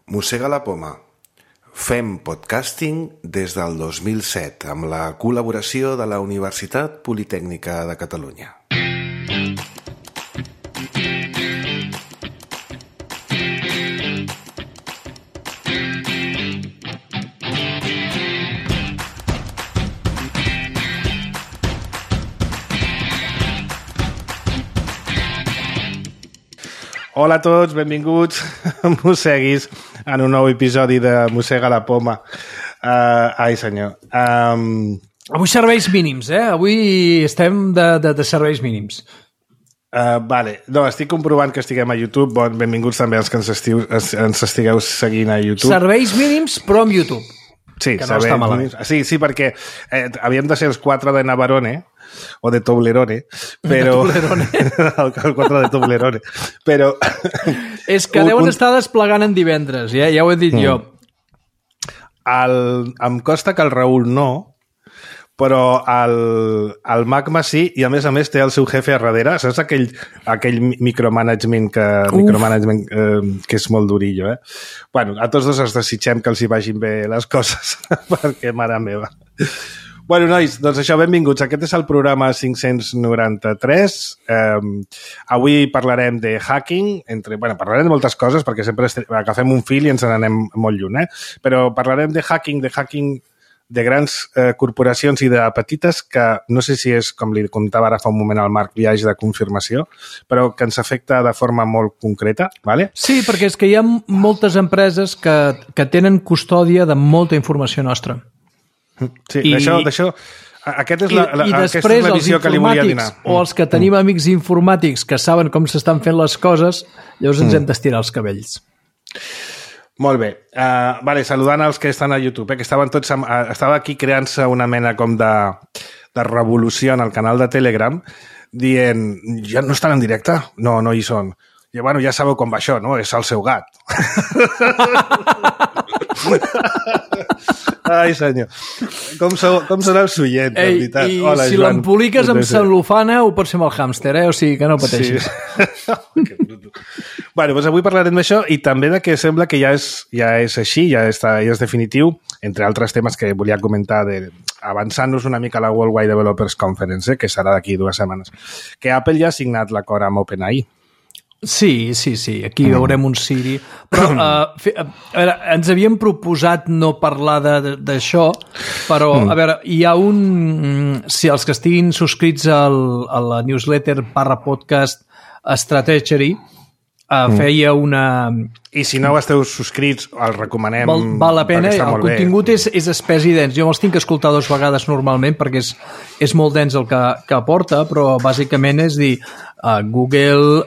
Mossega la poma. Fem podcasting des del 2007 amb la col·laboració de la Universitat Politècnica de Catalunya. Hola a tots, benvinguts a Mosseguis en un nou episodi de Mossega la poma. Ai, senyor. Avui serveis mínims, Avui estem de serveis mínims. Vale. No, estic comprovant que estiguem a YouTube. Benvinguts també els que ens estigueu seguint a YouTube. Serveis mínims, però amb YouTube. Sí, que no està malament. Sí, perquè havíem de ser els 4 de Navarone, o de Toblerone, però... De Toblerone. El 4 de Toblerone. Però... És que deuen estar desplegant en divendres, ja ho he dit jo. Em costa que el Raül no, però el Magma sí, i a més té el seu jefe a darrere. Saps aquell micromanagement que és molt durillo, eh? Bueno, a tots dos els desitgem que els hi vagin bé les coses, perquè, mare meva. Bueno, nois, doncs això, benvinguts. Aquest és el programa 593. Avui parlarem de hacking, parlarem de moltes coses, perquè sempre agafem un fil i ens n'anem molt lluny, Però parlarem de hacking de grans corporacions i de petites, que no sé si és, com li contava ara fa un moment al Marc, viatge de confirmació, però que ens afecta de forma molt concreta, ¿vale? Sí, perquè és que hi ha moltes empreses que tenen custòdia de molta informació nostra. Sí, d'això aquesta és la visió que li volia donar. O els que tenim amics informàtics que saben com s'estan fent les coses, llavors ens hem d'estirar els cabells. Molt bé. Saludant els que estan a YouTube, que estava aquí creant-se una mena com de revolució en el canal de Telegram, dient, ja no estan en directe? No hi són. I bueno, ja sabeu com va això, no? És el seu gat. Ai, senyor. Com serà el soient, en veritat. Hola, si l'emboliques amb cel·lofana ho pots fer amb el hàmster, O sigui que no pateixis. Sí. Bueno, doncs avui parlarem d'això i també de que sembla que ja és així, ja és definitiu, entre altres temes que volia comentar, avançant-nos una mica a la World Wide Developers Conference, que serà d'aquí 2 setmanes, que Apple ja ha signat l'acord amb OpenAI. Sí, aquí veurem un Siri. Però, a veure, ens havíem proposat no parlar d'això, però, a veure, hi ha si els que estiguin subscrits a la newsletter /podcast Strategy, feia una... I si no esteu subscrits, el recomanem. Val la pena, el contingut és espès i dens. Jo me'ls tinc que escoltar 2 vegades normalment perquè és molt dens el que aporta, però bàsicament és dir, Google,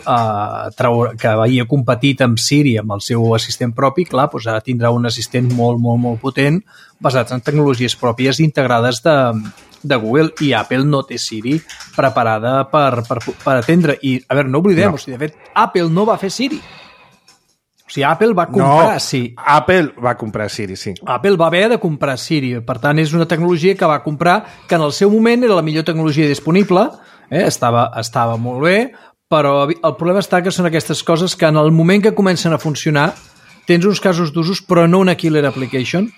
que havia competit amb Siri, amb el seu assistent propi, clar, doncs ara tindrà un assistent molt, molt, molt potent, basat en tecnologies pròpies integrades de Google, i Apple no té Siri preparada per atendre. I, a veure, no oblidem, de fet, Apple no va fer Siri. O sigui, Apple va comprar Siri. Apple va comprar Siri, sí. Apple va haver de comprar Siri. Per tant, és una tecnologia que va comprar, que en el seu moment era la millor tecnologia disponible, estava molt bé, però el problema està que són aquestes coses que en el moment que comencen a funcionar tens uns casos d'usos, però no una killer application,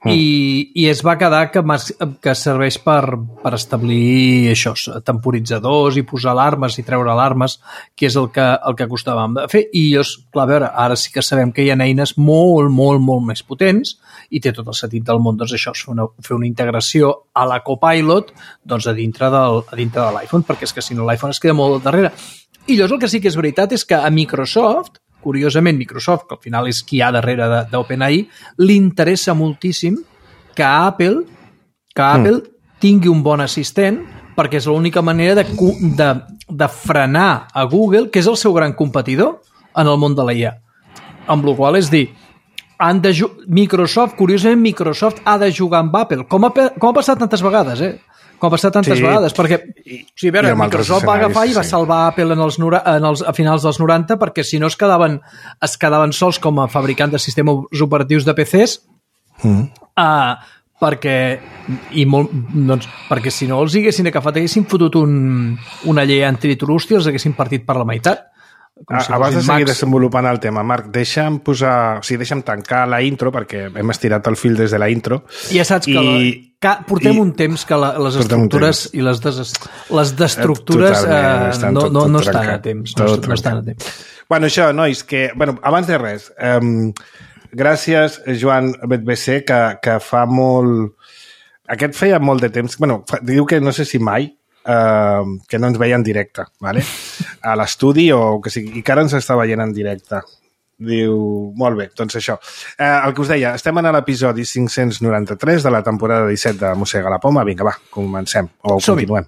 i es va quedar que serveix per establir això, temporitzadors i posar alarmes i treure alarmes, que és el que acostàvem de fer. I clar, a veure, ara sí que sabem que hi ha eines molt, molt, molt més potents i té tot el sentit del món, doncs això, fer una integració a la Copilot a dintre de l'iPhone, perquè és que si no l'iPhone es queda molt darrere. I llavors el que sí que és veritat és que a Microsoft, curiosament, Microsoft, que al final és qui hi ha darrere d'OpenAI, li interessa moltíssim que Apple tingui un bon assistent, perquè és l'única manera de frenar a Google, que és el seu gran competidor en el món de l'IA. Amb la qual cosa, és dir, curiosament, Microsoft ha de jugar amb Apple, com ha passat tantes vegades, vegades, perquè a veure, Microsoft va agafar i va salvar Apple a finals dels 90, perquè si no es quedaven sols com a fabricant de sistemes operatius de PCs, perquè si no els haguessin agafat, haguessin fotut una llei antitrust i els haguessin partit per la meitat. Abans de seguir desenvolupant el tema, Marc, deixa'm tancar la intro, perquè hem estirat el fil des de la intro. Ja saps que portem un temps que les estructures i les destructures no estan a temps. No estan a temps. Bueno, això, nois, que... abans de res, gràcies, Joan Betbc, que fa molt... Aquest feia molt de temps... diu que no sé si mai, que no ens veia en directe, ¿vale? A l'estudi o que sigui, i que ara ens està veient en directe. Diu, molt bé, doncs això. El que us deia, estem en l'episodi 593 de la temporada 17 de Mossega la Poma. Vinga, va, comencem, o continuem.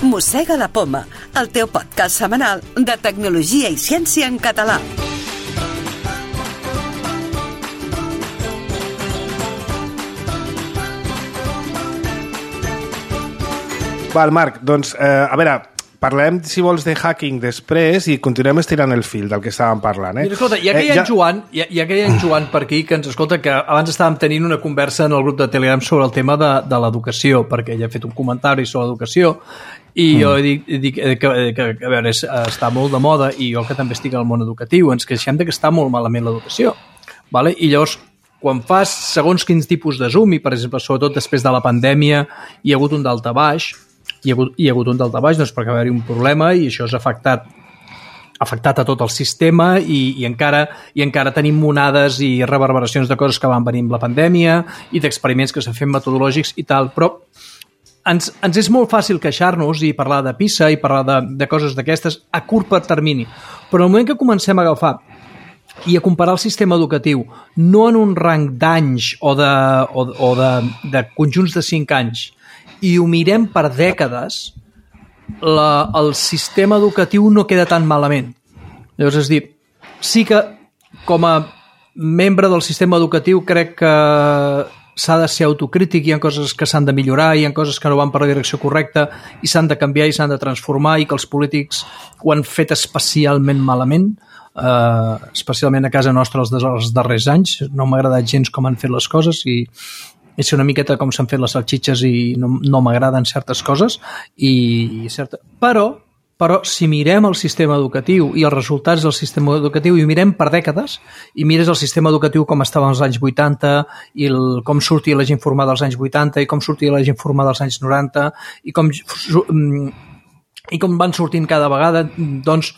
Mossega la Poma, el teu podcast setmanal de tecnologia i ciència en català. Val, Marc, doncs, a veure, parlem, si vols, de hacking després i continuem estirant el fil del que estàvem parlant. Mira, escolta, ja que hi ha en Joan per aquí, que ens escolta, que abans estàvem tenint una conversa en el grup de Telegram sobre el tema de l'educació, perquè ella ha fet un comentari sobre l'educació, i jo dic que a veure, està molt de moda, i jo que també estic al món educatiu, ens queixem que està molt malament l'educació. Vale? I llavors, quan fas segons quins tipus de Zoom, i per exemple, sobretot després de la pandèmia, hi ha hagut un daltabaix, doncs perquè va haver-hi un problema i això ha afectat a tot el sistema i encara tenim monades i reverberacions de coses que van venir amb la pandèmia i d'experiments que s'han fet metodològics i tal, però ens és molt fàcil queixar-nos i parlar de PISA i parlar de coses d'aquestes a curt termini, però el moment que comencem a agafar i a comparar el sistema educatiu no en un rang d'anys o de conjunts de 5 anys i ho mirem per dècades, el sistema educatiu no queda tan malament. Llavors, és dir, sí que com a membre del sistema educatiu crec que s'ha de ser autocrític, hi ha coses que s'han de millorar, hi ha coses que no van per la direcció correcta i s'han de canviar i s'han de transformar i que els polítics ho han fet especialment malament, especialment a casa nostra els darrers anys. No m'ha agradat gens com han fet les coses i és una miqueta com s'han fet les salxitxes i no m'agraden certes coses, però si mirem el sistema educatiu i els resultats del sistema educatiu i ho mirem per dècades i mires el sistema educatiu com estava als anys 80 i com sortia la gent formada als anys 80 i com sortia la gent formada als anys 90 i com van sortint cada vegada, doncs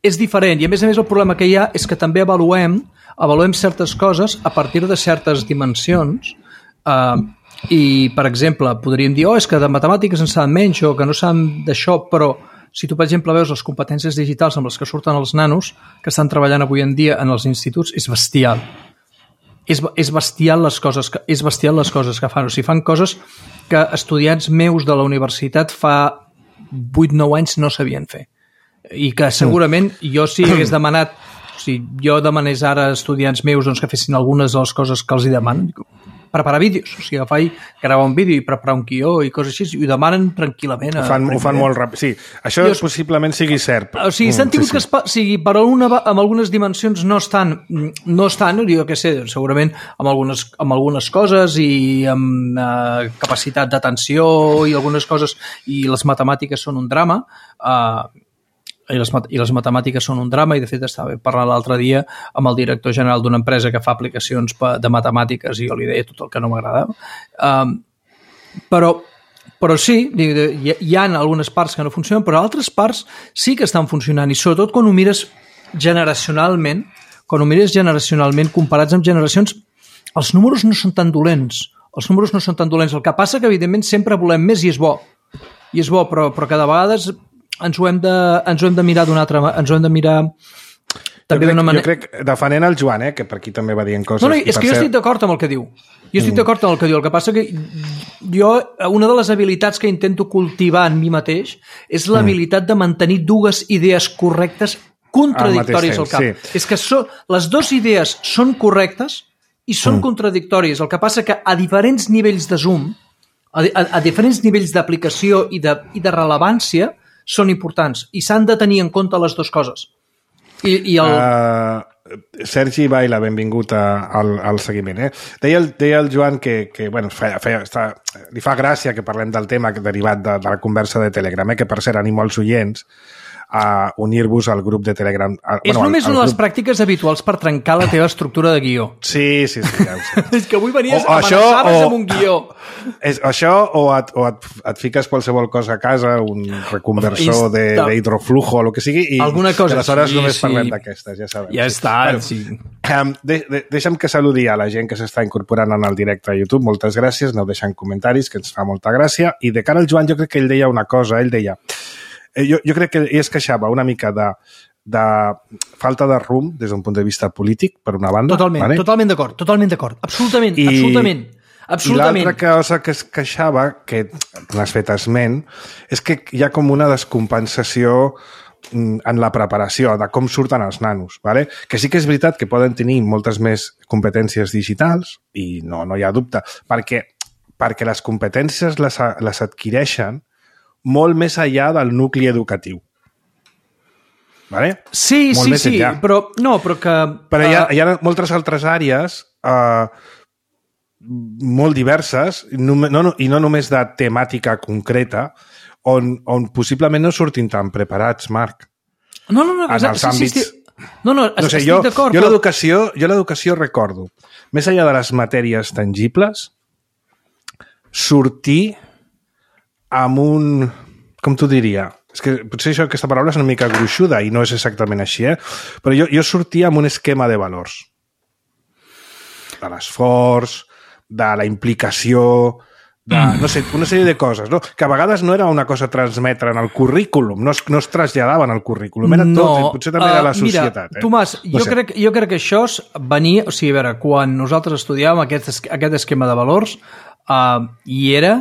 és diferent. I a més el problema que hi ha és que també avaluem certes coses a partir de certes dimensions. I, per exemple, podríem dir és que de matemàtiques en saben menys o que no saben d'això, però si tu, per exemple, veus les competències digitals amb les que surten els nanos que estan treballant avui en dia en els instituts, és bestial. És bestial les coses que fan. O sigui, fan coses que estudiants meus de la universitat fa 8-9 anys no sabien fer. I que segurament jo si hagués demanat, si jo demanés ara a estudiants meus doncs, que fessin algunes de les coses que els hi demanen, preparar vídeos, o sigui, agafar i gravar un vídeo i preparar un guió i coses així, i ho demanen tranquil·lament. Ho fan molt ràpid, sí. Això possiblement sigui cert. O sigui, s'han tingut que per amb algunes dimensions no estan, jo què sé, segurament amb algunes coses i amb capacitat d'atenció i algunes coses, i les matemàtiques són un drama, i les matemàtiques són un drama, i de fet estava parlant l'altre dia amb el director general d'una empresa que fa aplicacions de matemàtiques i jo li deia tot el que no m'agradava. Però sí, hi ha algunes parts que no funcionen, però altres parts sí que estan funcionant, i sobretot quan ho mires generacionalment, comparats amb generacions, els números no són tan dolents. El que passa que, evidentment, sempre volem més i és bo, però cada vegada ens ho hem de mirar d'una altra manera, ens ho hem de mirar també d'una manera. Jo crec, defenent el Joan, que per aquí també va dient coses. No, és que jo estic d'acord amb el que diu. El que passa que jo, una de les habilitats que intento cultivar en mi mateix és l'habilitat de mantenir dues idees correctes contradictòries al cap. Sí. És que les dues idees són correctes i són contradictòries. El que passa que a diferents nivells de zoom, a diferents nivells d'aplicació i de rellevància, són importants i s'han de tenir en compte les dues coses. I el... Sergi Baila, benvingut al seguiment. Deia el Joan que bueno, li fa gràcia que parlem del tema derivat de la conversa de Telegram, que per cert animo als oients a unir-vos al grup de Telegram. És només una de les pràctiques habituals per trencar la teva estructura de guió. Sí, ja ho sé. És que avui venies amenaçaves amb un guió. Això o et fiques qualsevol cosa a casa, un reconversor d'hidroflujo o el que sigui, i aleshores només parlem d'aquestes, ja sabem. Ja està, sí. Deixa'm que saludi a la gent que s'està incorporant en el directe a YouTube. Moltes gràcies, aneu deixant comentaris, que ens fa molta gràcia. I de cara al Joan, jo crec que ell deia una cosa, jo crec que ell es queixava una mica de falta de rumb des d'un punt de vista polític, per una banda. Totalment d'acord. Absolutament. I l'altra cosa que es queixava, que n'has fet esment, és que hi ha com una descompensació en la preparació de com surten els nanos. Vale? Que sí que és veritat que poden tenir moltes més competències digitals, i no hi ha dubte, perquè les competències les adquireixen molt més enllà del nucli educatiu. Vale? Sí, però hi ha moltes altres àrees molt diverses, i no només de temàtica concreta, on possiblement no surtin tan preparats, Marc. No, en els àmbits... estic d'acord. Jo l'educació recordo, més enllà de les matèries tangibles, sortir amb un... Com t'ho diria? És que potser aquesta paraula és una mica gruixuda i no és exactament així, però jo sortia amb un esquema de valors. De l'esforç, de la implicació, no sé, una sèrie de coses, no? Que a vegades no era una cosa a transmetre en el currículum, no es traslladaven al currículum, era tot, potser també era la societat. Mira, Tomàs, jo crec que això venia... O sigui, a veure, quan nosaltres estudiàvem aquest esquema de valors, hi era...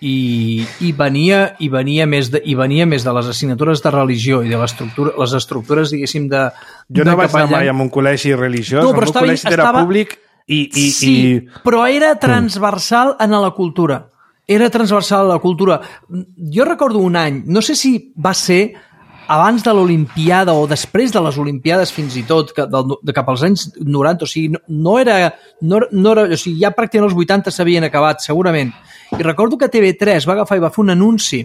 I venia més de les assignatures de religió i de les estructures, diguéssim, de... Jo no vaig anar mai en un col·legi religiós, el meu col·legi era públic i... Sí, però era transversal en la cultura. Era transversal a la cultura. Jo recordo un any, no sé si va ser abans de l'Olimpiada o després de les Olimpiades fins i tot, cap als anys 90, o sigui, no era, o sigui, ja pràcticament els 80 s'havien acabat, segurament. I recordo que TV3 va agafar i va fer un anunci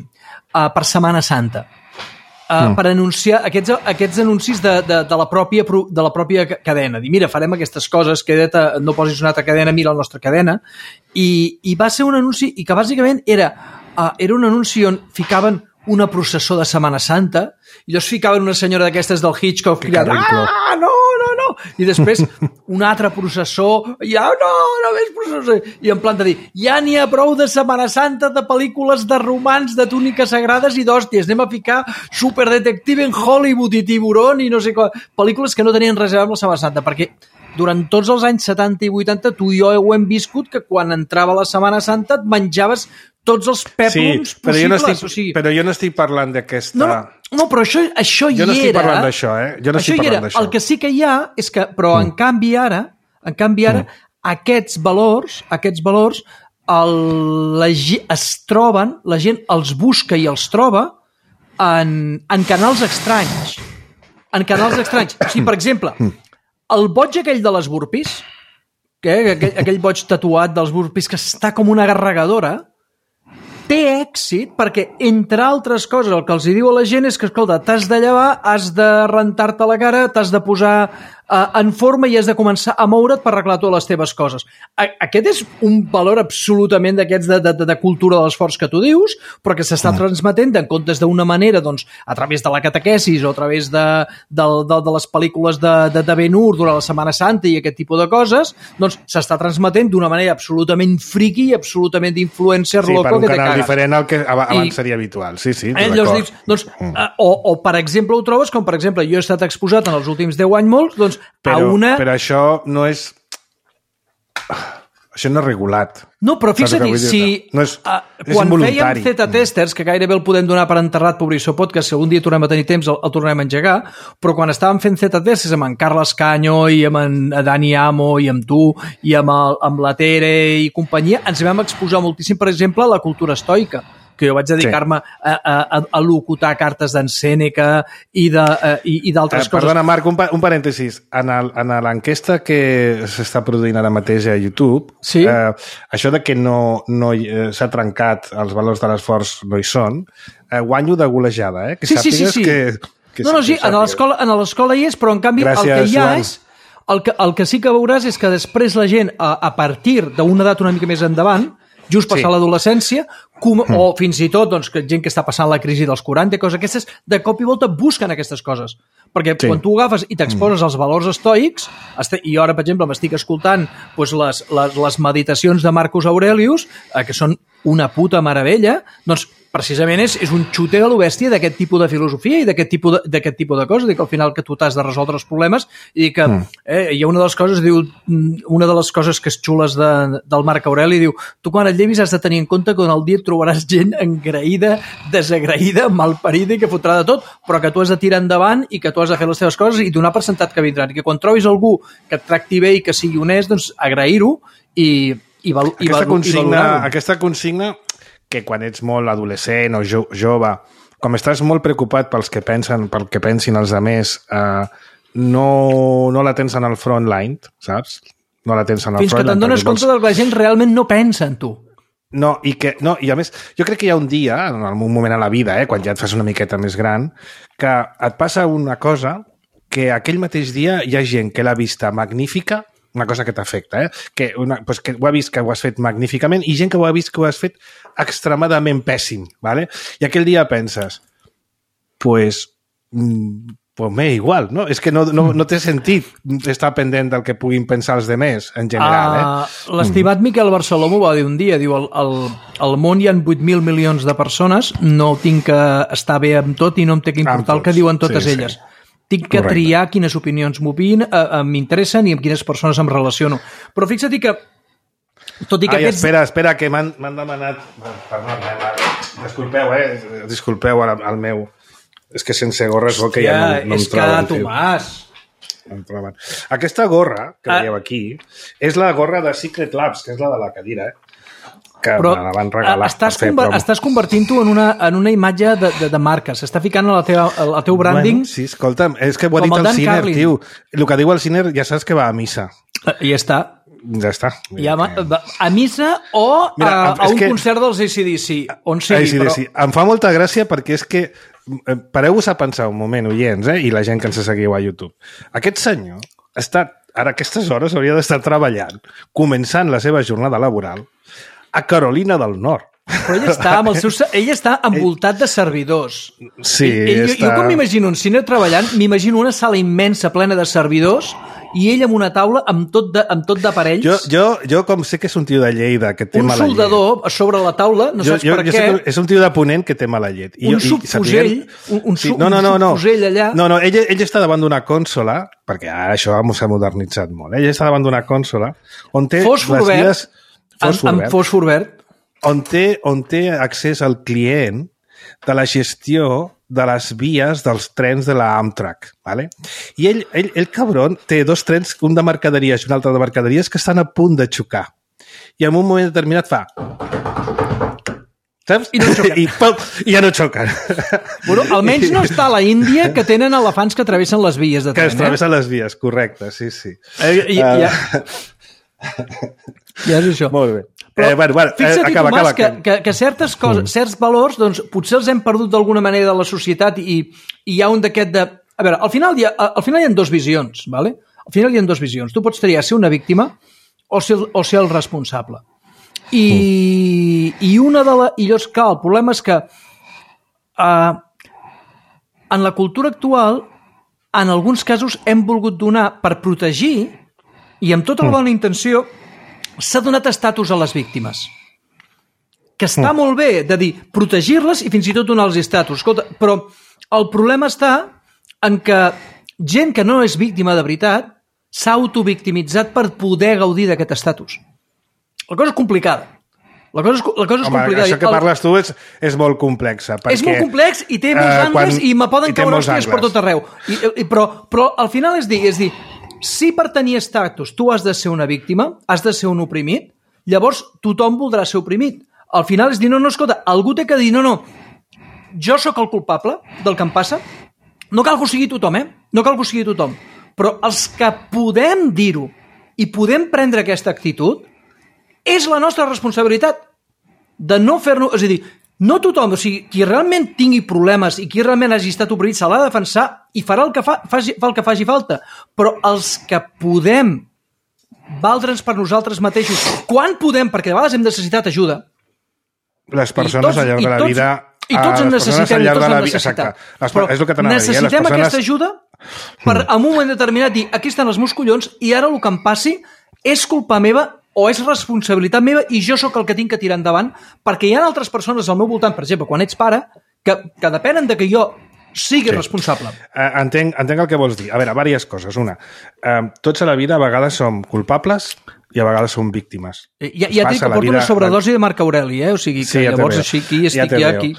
per Setmana Santa per anunciar aquests anuncis de la pròpia cadena. Dir, mira, farem aquestes coses, queda't, no posis una altra cadena, mira la nostra cadena. I va ser un anunci i que bàsicament era un anunci on ficaven una processó de Setmana Santa i llavors ficaven una senyora d'aquestes del Hitchcock cridant, no! I després una altra processó, no més processó, i en plan de dir, ja n'hi ha prou de Setmana Santa, de pel·lícules de romans, de túniques sagrades i d'hòsties, anem a ficar Superdetective en Hollywood i Tiburón i no sé què, pel·lícules que no tenien res a veure amb la Setmana Santa, perquè durant tots els anys 70 i 80 tu i jo ho hem viscut que quan entrava la Setmana Santa et menjaves tots els pèplums possibles. Però jo no estic parlant d'aquesta... No, però això hi era... Jo no estic parlant d'això, Jo no estic parlant d'això. El que sí que hi ha és que... Però en canvi ara, aquests valors, la gent els busca i els troba en canals estranys. En canals estranys. O sigui, per exemple, el boig aquell de les burpees, aquell boig tatuat dels burpees que està com una garregadora, té èxit perquè, entre altres coses, el que els diu a la gent és que, escolta, t'has de llevar, has de rentar-te la cara, t'has de posar en forma i has de començar a moure't per arreglar totes les teves coses. Aquest és un valor absolutament d'aquests de cultura de l'esforç que tu dius, però que s'està transmetent en comptes d'una manera, doncs, a través de la catequesis o a través de les pel·lícules de Ben-Hur durant la Setmana Santa i aquest tipus de coses, doncs s'està transmetent d'una manera absolutament friqui i absolutament d'influencer loco que te cagues. Sí, per un canal diferent al que abans seria habitual. Sí, d'acord. O, per exemple, ho trobes com, per exemple, jo he estat exposat en els últims 10 anys molts, doncs, però això no és... Això no és regulat. No, però fixa't, quan fèiem Z-testers, que gairebé el podem donar per enterrat, Pobrisso Podcast, si algun dia tornem a tenir temps el tornem a engegar, però quan estàvem fent Z-testers amb en Carles Canyo i amb en Dani Amo i amb tu i amb la Tere i companyia, ens vam exposar moltíssim, per exemple, a la cultura estoica, que jo vaig dedicar-me a locutar cartes d'en Sèneca i d'altres coses. Perdona, Marc, un parèntesis. En l'enquesta que s'està produint ara mateix a YouTube, sí? Això de que no s'ha trencat els valors de l'esforç no hi són, guanyo de golejada, que sàpigues que sí, a l'escola hi és, però en canvi gràcies, el que hi ha Joan. és... El que sí que veuràs és que després la gent, a partir d'una edat una mica més endavant, just passar l'adolescència, o fins i tot doncs, gent que està passant la crisi dels 40, coses aquestes, de cop i volta busquen aquestes coses. Perquè quan tu agafes i t'exposes als valors estoics, i ara, per exemple, m'estic escoltant doncs, les meditacions de Marcus Aurelius, que són una puta meravella, doncs precisament és un xute a lo bèstia d'aquest tipus de filosofia i d'aquest tipus de coses, que al final que tu t'has de resoldre els problemes i que hi ha una de les coses, diu, una de les coses que és xules del Marc Aureli, diu, tu quan et llevis has de tenir en compte que en el dia et trobaràs gent engraïda, desagraïda, malparida i que fotrà de tot, però que tu has de tirar endavant i que tu has de fer les teves coses i donar per sentat que vindran. I que quan trobis algú que et tracti bé i que sigui honest, doncs agrair-ho i valorar-ho. Aquesta consigna que quan ets molt adolescent o jove, com estàs molt preocupat pel que pensin els altres, no la tens en el front line, saps? No la tens en el Fins que te'n dones compte que la gent realment no pensa en tu. No, i a més, jo crec que hi ha un dia, en un moment a la vida, quan ja et fas una miqueta més gran, que et passa una cosa que aquell mateix dia hi ha gent que l'ha vista magnífica, una cosa que t'afecta, que ho ha vist que ho has fet magníficament i gent que ho ha vist que ho has fet extremadament pèssim, ¿vale? I aquell dia penses, pues m'és igual, no? És que no té sentit estar pendent del que puguin pensar els demés, en general. L'estimat Miquel Barceló m'ho va dir un dia, diu, al món hi ha 8.000 milions de persones, no tinc que estar bé amb tot i no em té que importar el que diuen totes elles. Tinc que triar quines opinions m'interessen i amb quines persones em relaciono. Però fixa't que... Tot i que espera, que m'han demanat... Perdona, disculpeu al meu... És que sense gorra és bo que ja no em troben. Tomàs! em troben. Aquesta gorra que veieu aquí és la gorra de Secret Labs, que és la de la cadira, que me la van regalar. Estàs convertint-ho en una imatge de marca. S'està ficant al teu branding. Bueno, sí, escolta'm, és que ho ha dit el Ciner, tio. El que diu el Ciner ja saps que va a missa. I ja està. Ja està. A missa o a un concert dels AC/DC, on sigui. Però... Em fa molta gràcia perquè és que pareu-vos a pensar un moment, oients, i la gent que ens seguiu a YouTube. Aquest senyor està, ara a aquestes hores hauria d'estar treballant, començant la seva jornada laboral a Carolina del Nord. Però ell està envoltat de servidors. Sí, jo quan m'imagino un cine treballant, m'imagino una sala immensa plena de servidors i ell amb una taula amb tot d'aparells. Jo com sé que és un tio de Lleida que té mala llet. Un soldador a sobre la taula, no saps per què. Sé que és un tio de Ponent que té mala llet. Un subfusell, un subfusell allà. No, ell està davant d'una consola, perquè ara això s'ha modernitzat molt. Ell està davant d'una consola on té fòsfor verd, on té accés al client de la gestió de les vies dels trens de la Amtrak, ¿vale? I ell cabron, té dos trens, un de mercaderies i un altre de mercaderies, que estan a punt de xocar. I en un moment determinat fa... Saps? I no xoquen. I ja no xoquen. Bueno, almenys no està a la Índia, que tenen elefants que travessen les vies de tren. Que travessen les vies, correcte, sí. Ja és això. Molt bé. Fixa't, Tomàs, que certes coses, certs valors, doncs, potser els hem perdut d'alguna manera de la societat i hi ha un d'aquest de... A veure, al final hi ha dues visions, ¿vale? Al final hi ha dues visions. Tu pots triar ser una víctima o ser el responsable. I llavors, clar, el problema és que en la cultura actual, en alguns casos hem volgut donar per protegir i amb tota la bona intenció s'ha donat estatus a les víctimes. Que està molt bé de dir protegir-les i fins i tot donar-los estatus. Escolta, però el problema està en que gent que no és víctima de veritat s'ha autovictimitzat per poder gaudir d'aquest estatus. La cosa és complicada. La cosa és complicada. Això que parles tu és molt complexa. És molt complex i té molts angles i me poden caure hòsties per tot arreu. Però al final és dir, si per tenir estatus tu has de ser una víctima, has de ser un oprimit, llavors tothom voldrà ser oprimit. al final és dir, no, escolta, algú té que dir, no, jo sóc el culpable del que em passa. No cal que ho sigui tothom, No cal que ho sigui tothom. Però els que podem dir-ho i podem prendre aquesta actitud, és la nostra responsabilitat de no fer-nos... És a dir, no tothom, o sigui, qui realment tingui problemes i qui realment hagi estat oprimit se l'ha de defensar i farà el que el que faci falta. Però els que podem valdre'ns per nosaltres mateixos, quan podem, perquè de vegades hem necessitat ajuda. Les persones al llarg de la vida... I tots en necessitem, i tots en necessitem. Però és el que t'anava a dir, necessitem aquesta ajuda per, en un moment determinat, dir, aquí estan els meus collons i ara el que em passi és culpa meva o és responsabilitat meva i jo sóc el que tinc que tirar endavant, perquè hi ha altres persones al meu voltant, per exemple, quan ets pare, que depenen de que jo sigui responsable. Entenc el que vols dir. A veure, diverses coses. Una, tots a la vida a vegades som culpables i a vegades som víctimes. Ja et dic que porto una sobredosi de Marc Aureli, o sigui que llavors així aquí estic ja aquí.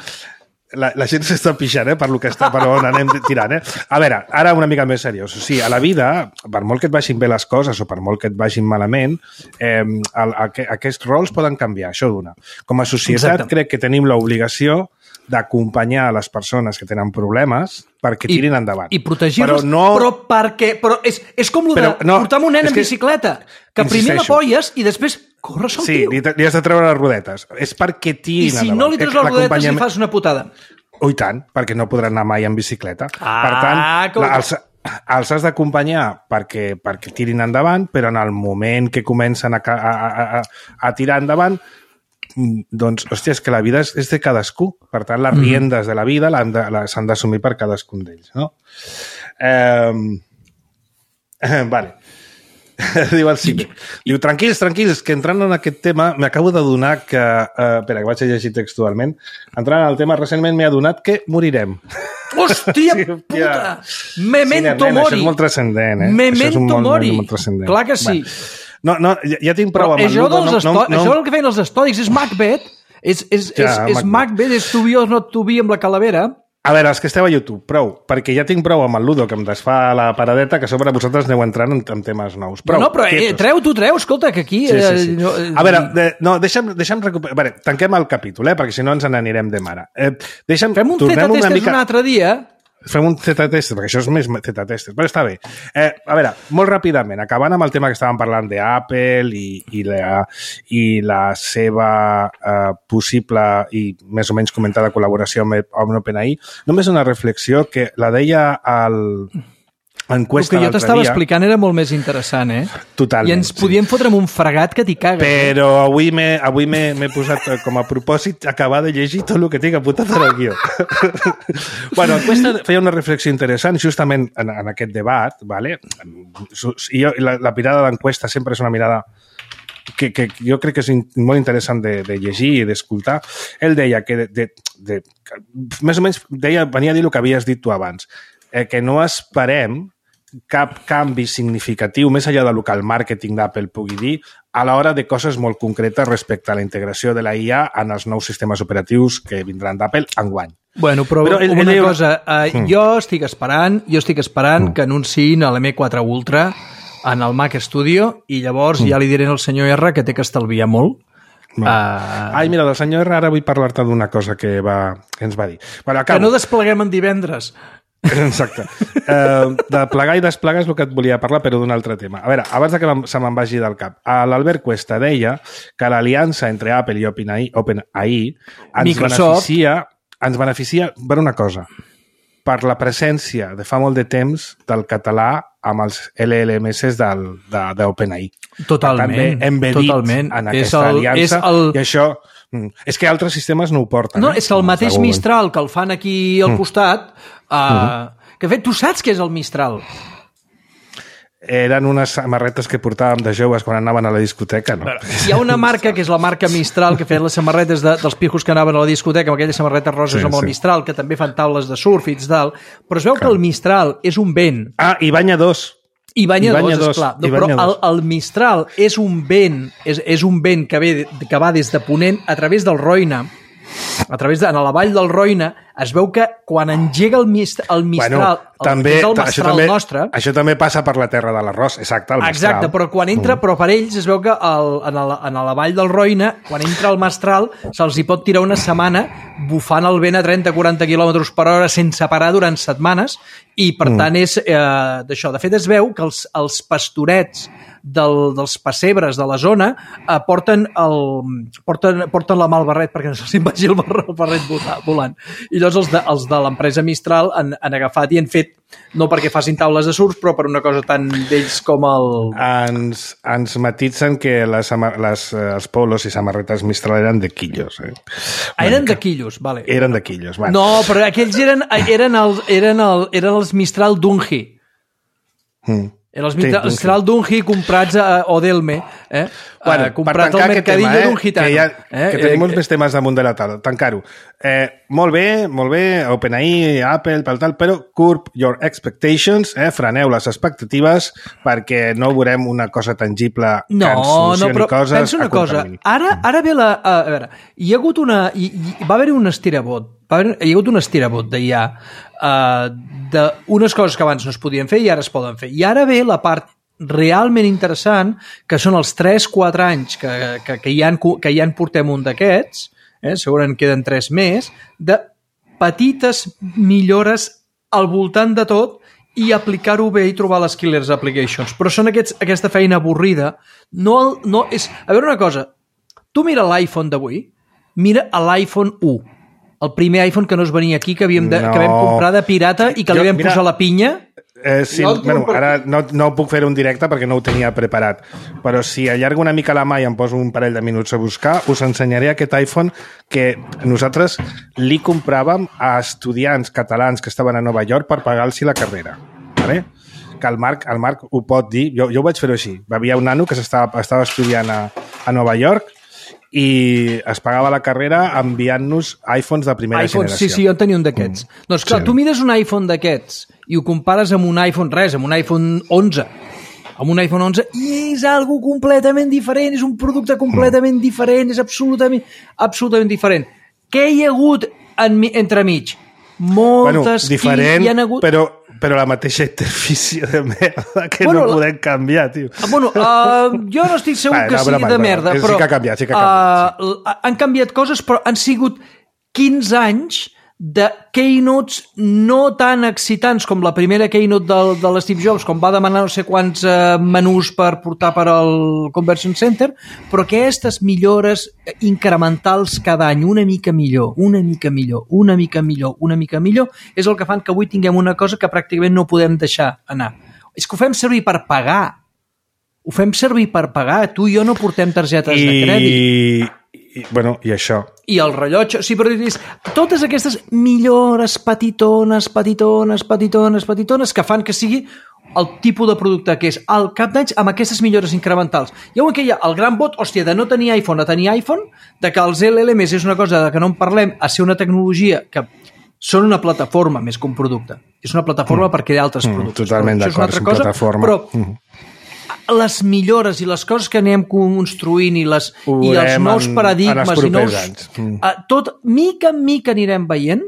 La gent s'està pixant, per lo que està, per on anem tirant, A veure, ara una mica més seriós. O sigui, a la vida, per molt que et vagin bé les coses o per molt que et vagin malament, aquests rols poden canviar, això d'una. Com a societat crec que tenim l'obligació d'acompanyar les persones que tenen problemes perquè tirin endavant. I protegir-los, però és com el de portar un nen en bicicleta, que primer l'apoyes i després corre sol tio. Sí, li has de treure les rodetes. És perquè tirin endavant. I si no li treus les rodetes li fas una putada. I tant, perquè no podran anar mai en bicicleta. Per tant, els has d'acompanyar perquè tirin endavant, però en el moment que comencen a tirar endavant, doncs, hòstia, és que la vida és de cadascú. Per tant, les riendes de la vida s'han d'assumir per cadascun d'ells, no? Vale. Diu el Cime. Diu, tranquils, que entrant en aquest tema m'acabo d'adonar que... espera, que vaig a llegir textualment. Entrant en el tema, recentment m'he adonat que morirem. Hòstia puta! Memento mori! Això és molt transcendent, Memento mori! Clar que sí. No, ja tinc prou amb el Ludo. Això és el que feien els estòdics, és Macbeth. És Macbeth, és to be or not to be amb la calavera. A veure, els que esteu a YouTube, prou, perquè ja tinc prou amb el Ludo, que em desfà la paradeta, que a sobre vosaltres aneu entrant en temes nous. Prou, no, però treu, escolta, que aquí... Sí. A veure, deixa'm recuperar... A veure, tanquem el capítol, perquè si no ens n'anirem de mare. Fem un Z-test un altre dia... Fem un Z-test, perquè això és més Z-test, però està bé. A veure, molt ràpidament, acabant amb el tema que estàvem parlant d'Apple i la seva possible i més o menys comentada col·laboració amb OpenAI, només una reflexió que la deia l'enquesta l'altre dia. El que jo t'estava explicant era molt més interessant, Totalment. I ens podíem fotre amb un fregat que t'hi cagues. Però avui m'he posat com a propòsit acabar de llegir tot el que tinc apuntat en el guió. Bueno, l'enquesta feia una reflexió interessant justament en aquest debat, ¿vale? I la mirada de l'enquesta sempre és una mirada que jo crec que és molt interessant de llegir i d'escoltar. Ell deia que més o menys venia a dir el que havies dit tu abans, que no esperem cap canvi significatiu, més enllà del que el màrqueting d'Apple pugui dir, a l'hora de coses molt concretes respecte a la integració de la IA en els nous sistemes operatius que vindran d'Apple enguany. Bueno, però una cosa, jo estic esperant que anunciïn l'M4 Ultra en el Mac Studio i llavors ja li diré al senyor R que té que estalviar molt. Ai, mira, del senyor R ara vull parlar-te d'una cosa que ens va dir. Bueno, que no despleguem en divendres. Exacte. De plegar i desplegar és el que et volia parlar, però d'un altre tema. A veure, abans que se me'n vagi del cap, l'Albert Cuesta deia que l'aliança entre Apple i OpenAI ens beneficia per una cosa, per la presència de fa molt de temps del català amb els LLMs d'OpenAI. Totalment. Embedit en aquesta aliança i això... És que altres sistemes no ho porten. No, és que el mateix Mistral que el fan aquí al costat... Que fet, tu saps què és el Mistral? Eren unes samarretes que portàvem de joves quan anaven a la discoteca, no? Hi ha una marca que és la marca Mistral que feien les samarretes dels pijos que anaven a la discoteca amb aquelles samarretes roses amb el Mistral, que també fan taules de surf i tal, però es veu que el Mistral és un vent. I banyadors. I banyadors, esclar. Però el Mistral és un vent, és un vent que va des de Ponent a través del Roine, en la vall del Roine, es veu que quan engega el Mistral, també, el mestral nostre... Això també passa per la terra de l'arròs, exacte, el mestral. Exacte, però quan entra, però per ells es veu que en la vall del Roine, quan entra el mestral, se'ls hi pot tirar una setmana bufant el vent a 30-40 km per hora sense parar durant setmanes, i per tant és d'això. De fet, es veu que els pastorets dels pessebres de la zona porten la mà al barret perquè no se'ls vagi el barret volant. I llavors els de l'empresa Mistral han agafat i han fet, no perquè facin taules de surf, però per una cosa tan d'ells com el... Ens matitzen que els polos i samarretes Mistral eren de quillos. Eren de quillos, vale. Eren de quillos, vale. No, però aquells eren els Mistral Dunhi. Els Mistral Dunhi comprats a Odelme, comprat al mercadillo d'un gitano. Que tenim molts més temes damunt de la taula. Tancar-ho. Molt bé, OpenAI, Apple, tal, però curb your expectations, freneu les expectatives perquè no veurem una cosa tangible que ens solucioni coses. Pensa una cosa, ara ve la... A veure, hi ha hagut va haver-hi un estirabot, hi ha hagut un estirabot d'IA d'unes coses que abans no es podien fer i ara es poden fer. I ara ve la part realment interessant, que són els 3-4 anys que ja en portem un d'aquests, segurament queden 3 més, de petites millores al voltant de tot i aplicar-ho bé i trobar les killers applications. Però són aquesta feina avorrida. No és... A veure una cosa, tu mira l'iPhone d'avui, mira l'iPhone 1, el primer iPhone que no es venia aquí, que vam comprar de pirata i que li vam posar la pinya. Sí, ara no puc fer un directe perquè no ho tenia preparat, però si allargo una mica la mà i em poso un parell de minuts a buscar, us ensenyaré aquest iPhone que nosaltres li compràvem a estudiants catalans que estaven a Nova York per pagar-los la carrera. Vale? Que el Marc ho pot dir, jo ho vaig fer així. Hi havia un nano que estava estudiant a Nova York i es pagava la carrera enviant-nos iPhones de primera generació. Sí, jo en tenia un d'aquests. Doncs clar, tu mires un iPhone d'aquests i ho compares amb un iPhone 11, amb un iPhone 11, i és algo completament diferent, és un producte completament diferent, és absolutament diferent. Què hi ha hagut entremig? Moltes... diferent, però la mateixa interfície de merda que no podem canviar, tio. Jo no estic segur que sigui de merda, però... Sí que ha canviat. Han canviat coses, però han sigut 15 anys de keynotes no tan excitants com la primera keynote de l'Steve Jobs, com va demanar no sé quants menús per portar per al Conversion Center, però aquestes millores incrementals cada any, una mica millor, és el que fan que avui tinguem una cosa que pràcticament no podem deixar anar. És que ho fem servir per pagar. Tu i jo no portem targetes de crèdit. I això. I el rellotge... Sí, però totes aquestes millores petitones que fan que sigui el tipus de producte que és al cap d'anys amb aquestes millores incrementals. I que hi ha el gran bot, hòstia, de no tenir iPhone a tenir iPhone, de que els LLMs és una cosa de que no en parlem, a ser una tecnologia que són una plataforma més que un producte. És una plataforma per crear altres productes. Totalment d'acord, és una plataforma. Però les millores i les coses que anem construint i els nous paradigmes i nous... Tot, mica en mica anirem veient,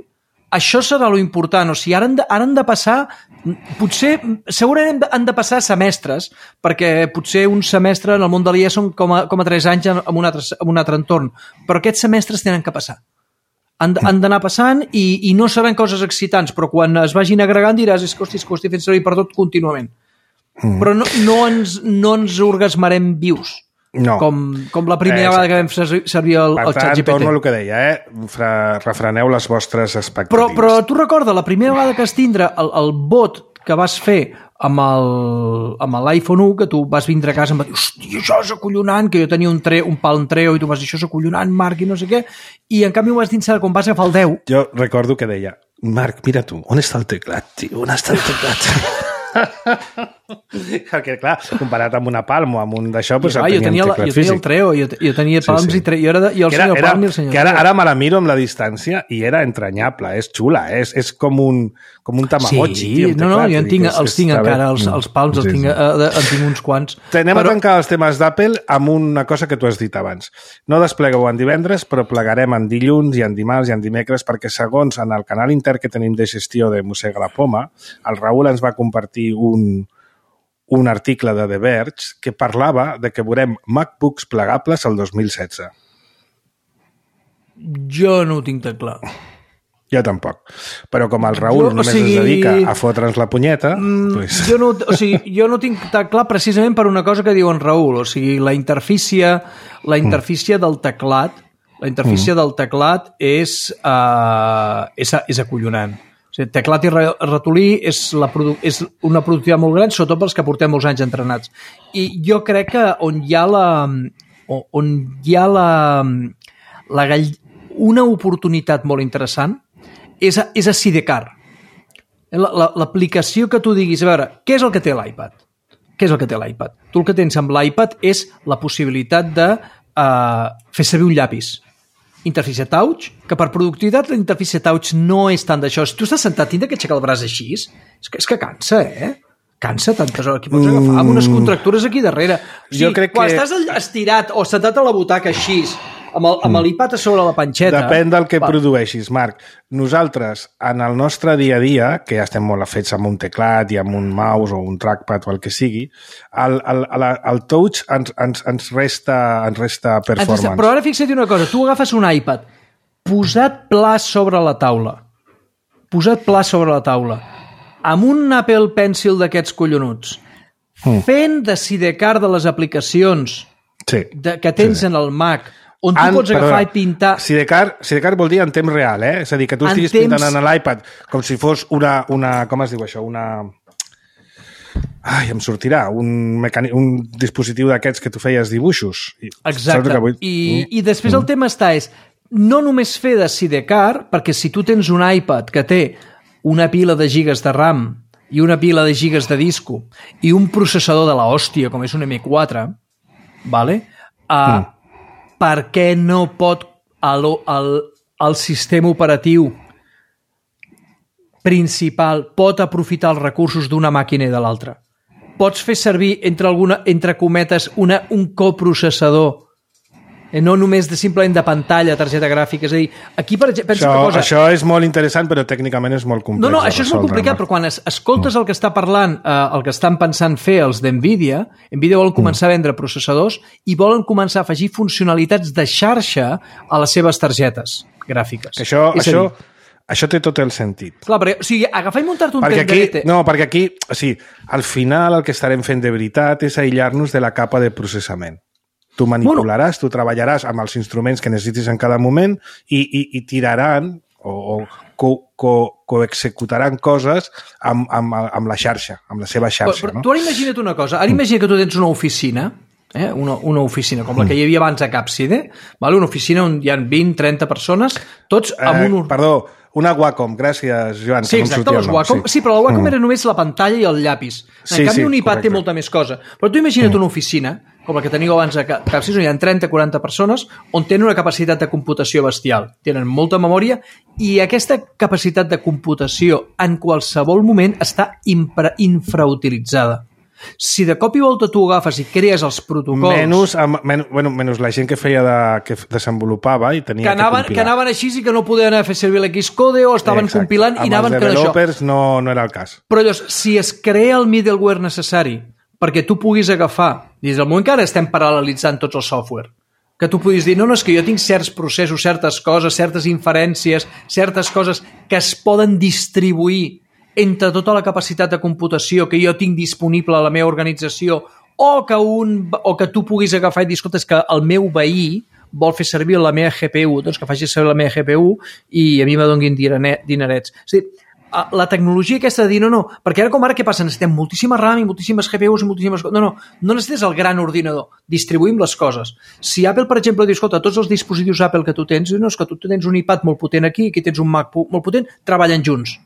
això serà lo important. O sigui, ara han de passar... Segurament han de passar semestres, perquè potser un semestre en el món de l'IA són com a 3 anys en un altre entorn. Però aquests semestres tenen que passar. Han d'anar passant i no seran coses excitants, però quan es vagin agregant diràs que ho estic fent servir per tot contínuament. Però no ens orgasmarem vius, com la primera vegada que vam servir el ChatGPT. Per tant, torno al que deia, refreneu les vostres expectatives. Però tu recorda, la primera vegada que vas tindre el bot que vas fer amb l'iPhone 1, que tu vas vindre a casa i em vas dir, hòstia, això és acollonant, que jo tenia un Palm Treo i tu vas dir, això és acollonant, Marc, i no sé què, i en canvi ho vas dir quan vas agafar el 10. Jo recordo que deia, Marc, mira tu, on està el teclat, tio? On està el teclat? Perquè, clar, comparat amb una Palm o amb un d'això, doncs jo tenia el Treo, jo tenia Palms i el senyor Palm i el senyor Treo. Ara me la miro amb la distància i era entranyable, és xula, és com un Tamagotchi. Sí, jo els tinc encara, els Palms en tinc uns quants. Anem a tancar els temes d'Apple amb una cosa que tu has dit abans. No desplegueu en divendres, però plegarem en dilluns i en dimarts i en dimecres, perquè segons en el canal intern que tenim de gestió de Mossega la Poma, el Raül ens va compartir un article de The Verge que parlava de que veurem MacBooks plegables el 2016. Jo no ho tinc tan clar. Jo tampoc. Però com el Raül només es dedica a fotre'ns la punyeta... Pues... Jo no tinc tan clar precisament per una cosa que diu en Raül. O sigui, la interfície del teclat del teclat és acollonant. O sigui, teclat i ratolí és una productivitat molt gran, sobretot pels que portem molts anys entrenats. I jo crec que on hi ha una oportunitat molt interessant és a Sidecar. L'aplicació que tu diguis, a veure, què és el que té l'iPad? Què és el que té l'iPad? Tu el que tens amb l'iPad és la possibilitat de fer servir un llapis. Interfície touch, que per productivitat la interfície touch no és tant d'això. Si tu estàs sentat, tindre que aixecar el braç així, és que cansa, Cansa tantes hores. Aquí pots agafar amb unes contractures aquí darrere. O sigui, quan estàs estirat o sentat a la butaca així, amb l'iPad a sobre la panxeta... Depèn del que produeixis, Marc. Nosaltres, en el nostre dia a dia, que ja estem molt afets amb un teclat i amb un mouse o un trackpad o el que sigui, el touch ens resta performance. Però ara fixa't una cosa, tu agafes un iPad posat pla sobre la taula, amb un Apple Pencil d'aquests collonuts, fent de sidecar de les aplicacions que tens en el Mac, on tu pots agafar i pintar... Sidecar vol dir en temps real, És a dir, que tu estiguis pintant en l'iPad com si fos una... Com es diu això? Em sortirà. Un dispositiu d'aquests que tu feies dibuixos. Exacte. I després el tema és no només fer de sidecar, perquè si tu tens un iPad que té una pila de gigas de RAM i una pila de gigas de disco i un processador de la hòstia, com és un M4, vale? Per què no pot el sistema operatiu principal pot aprofitar els recursos d'una màquina i de l'altra? Pots fer servir, entre cometes, un coprocessador, no només simplement de pantalla, targeta gràfica. És a dir, aquí, pensa una cosa... Això és molt interessant, però tècnicament és molt complex. No, això és molt complicat, però quan escoltes el que està parlant, el que estan pensant fer els d'NVIDIA, NVIDIA volen començar a vendre processadors i volen començar a afegir funcionalitats de xarxa a les seves targetes gràfiques. Això té tot el sentit. Clar, perquè, o sigui, agafar i muntar-te un tenderete... No, perquè aquí, al final el que estarem fent de veritat és aïllar-nos de la capa de processament. Tu manipularàs, tu treballaràs amb els instruments que necessitis en cada moment i tiraran o coexecutaran coses amb la xarxa, amb la seva xarxa. Però tu ara imagina't una cosa, ara imagina que tu tens una oficina, una oficina com la que hi havia abans a Capside, una oficina on hi ha 20-30 persones, tots amb un... Perdó, una Wacom, gràcies, Joan. Sí, exacte, les Wacom. Sí, però la Wacom era només la pantalla i el llapis. En canvi, un iPad té molta més cosa. Però tu imagina't una oficina, com la que teniu abans a Capside, on hi ha 30-40 persones, on tenen una capacitat de computació bestial. Tenen molta memòria i aquesta capacitat de computació en qualsevol moment està infrautilitzada. Si de cop i volta tu agafes i crees els protocols... Menys la gent que que desenvolupava i tenia que compilar. Que anaven així i que no podien fer servir l'Xcode o estaven compilant i anaven amb els developers no era el cas. Però llavors, si es crea el middleware necessari perquè tu puguis agafar, des del moment que ara estem paral·lelitzant tots els software, que tu puguis dir, no, és que jo tinc certs processos, certes coses, certes inferències, certes coses que es poden distribuir entre tota la capacitat de computació que jo tinc disponible a la meva organització o que tu puguis agafar i dir, escolta, és que el meu veí vol fer servir la meva GPU, doncs que faci servir la meva GPU i a mi me donguin dinerets. És a dir, la tecnologia aquesta de dir, no, perquè ara què passa? Necessitem moltíssima RAM i moltíssimes GPUs i moltíssimes... No necessites el gran ordinador, distribuïm les coses. Si Apple, per exemple, diu, escolta, tots els dispositius Apple que tu tens, no, és que tu tens un iPad molt potent aquí, aquí tens un Mac molt potent, treballen junts.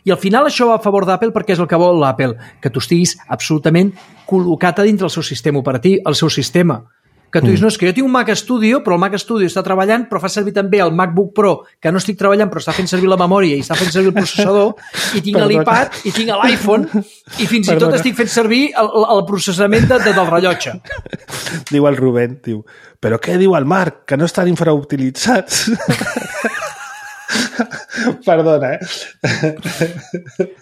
I al final això va a favor d'Apple perquè és el que vol l'Apple, que tu estiguis absolutament col·locat a dintre el seu sistema operatiu, el seu sistema. Que tu dius, no, és que jo tinc un Mac Studio, però el Mac Studio està treballant, però fa servir també el MacBook Pro, que no estic treballant, però està fent servir la memòria i està fent servir el processador, i tinc l'iPad, i tinc l'iPhone, i fins i tot estic fent servir el processament del rellotge. Diu el Rubén, diu, però què diu el Marc? Que no estan infrautilitzats? Perdona,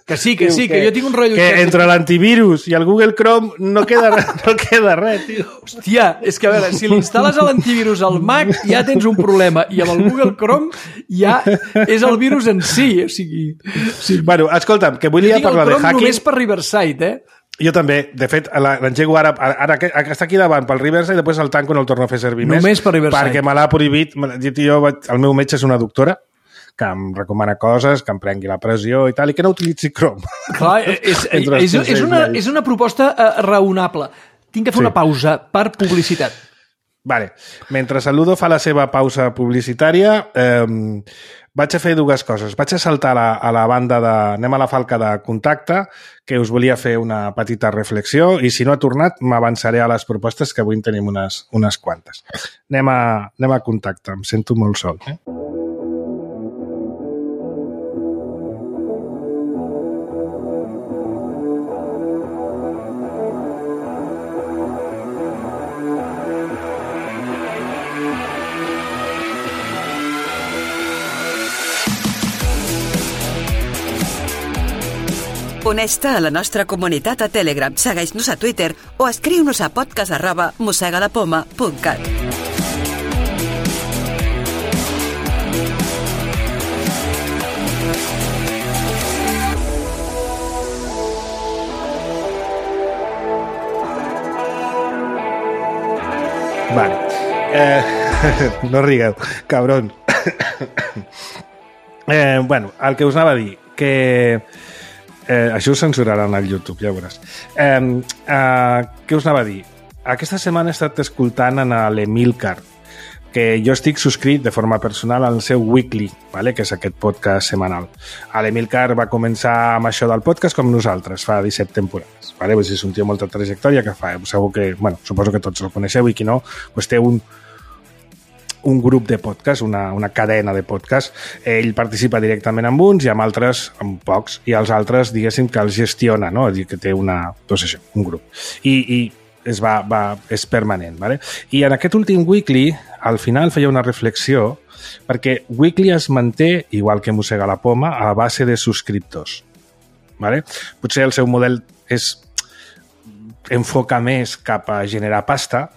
Que sí, que jo tinc un rotllo... Que entre l'antivirus i el Google Chrome no queda res, tio. Hòstia, és que a veure, si l'instal·les a l'antivirus al Mac ja tens un problema, i amb el Google Chrome ja és el virus en si, o sigui... Sí. Bueno, escolta'm, que volia parlar de hacking... Jo tinc el Chrome només per Riverside, Jo també. De fet, l'engego ara que està aquí davant pel Riverside i després el tanco no el torno a fer servir més. Només per Riverside. Perquè me l'ha prohibit. El meu metge és una doctora que em recomana coses, que em prengui la pressió i tal, i que no utilitzi Chrome. Clar, és una proposta raonable. Tinc que fer una pausa per publicitat. Vale. Mentre el Ludo fa la seva pausa publicitària, vaig a fer dues coses. Vaig a saltar a la banda de... Anem a la falca de contacte, que us volia fer una petita reflexió, i si no ha tornat, m'avançaré a les propostes, que avui en tenim unes quantes. Anem a contacte. Em sento molt sol, Uneix-te a la nostra comunitat a Telegram, segueix-nos a Twitter o escriu-nos a podcast@mossegalapoma.cat. Vale. No rigueu, cabron. Bueno, el que us anava a dir, que... això ho censuraran al YouTube, ja ho veuràs. Què us anava a dir? Aquesta setmana he estat escoltant a l'Emilcar, que jo estic subscrit de forma personal al seu Weekly, vale? Que és aquest podcast setmanal. L'Emilcar va començar amb això del podcast com nosaltres, fa 17 temporades. Vale? Pues és un tio amb molta trajectòria que fa, segur que, bueno, suposo que tots el coneixeu i qui no, pues té un grup de podcast, una cadena de podcast. Ell participa directament amb uns i amb altres, amb pocs, i els altres, diguéssim, que els gestiona, no? És a dir, que té un grup. I és permanent, ¿vale? I en aquest últim Weekly, al final feia una reflexió, perquè Weekly es manté, igual que Mossega la Poma, a base de subscriptors, ¿vale? Potser el seu model enfoca més cap a generar pasta,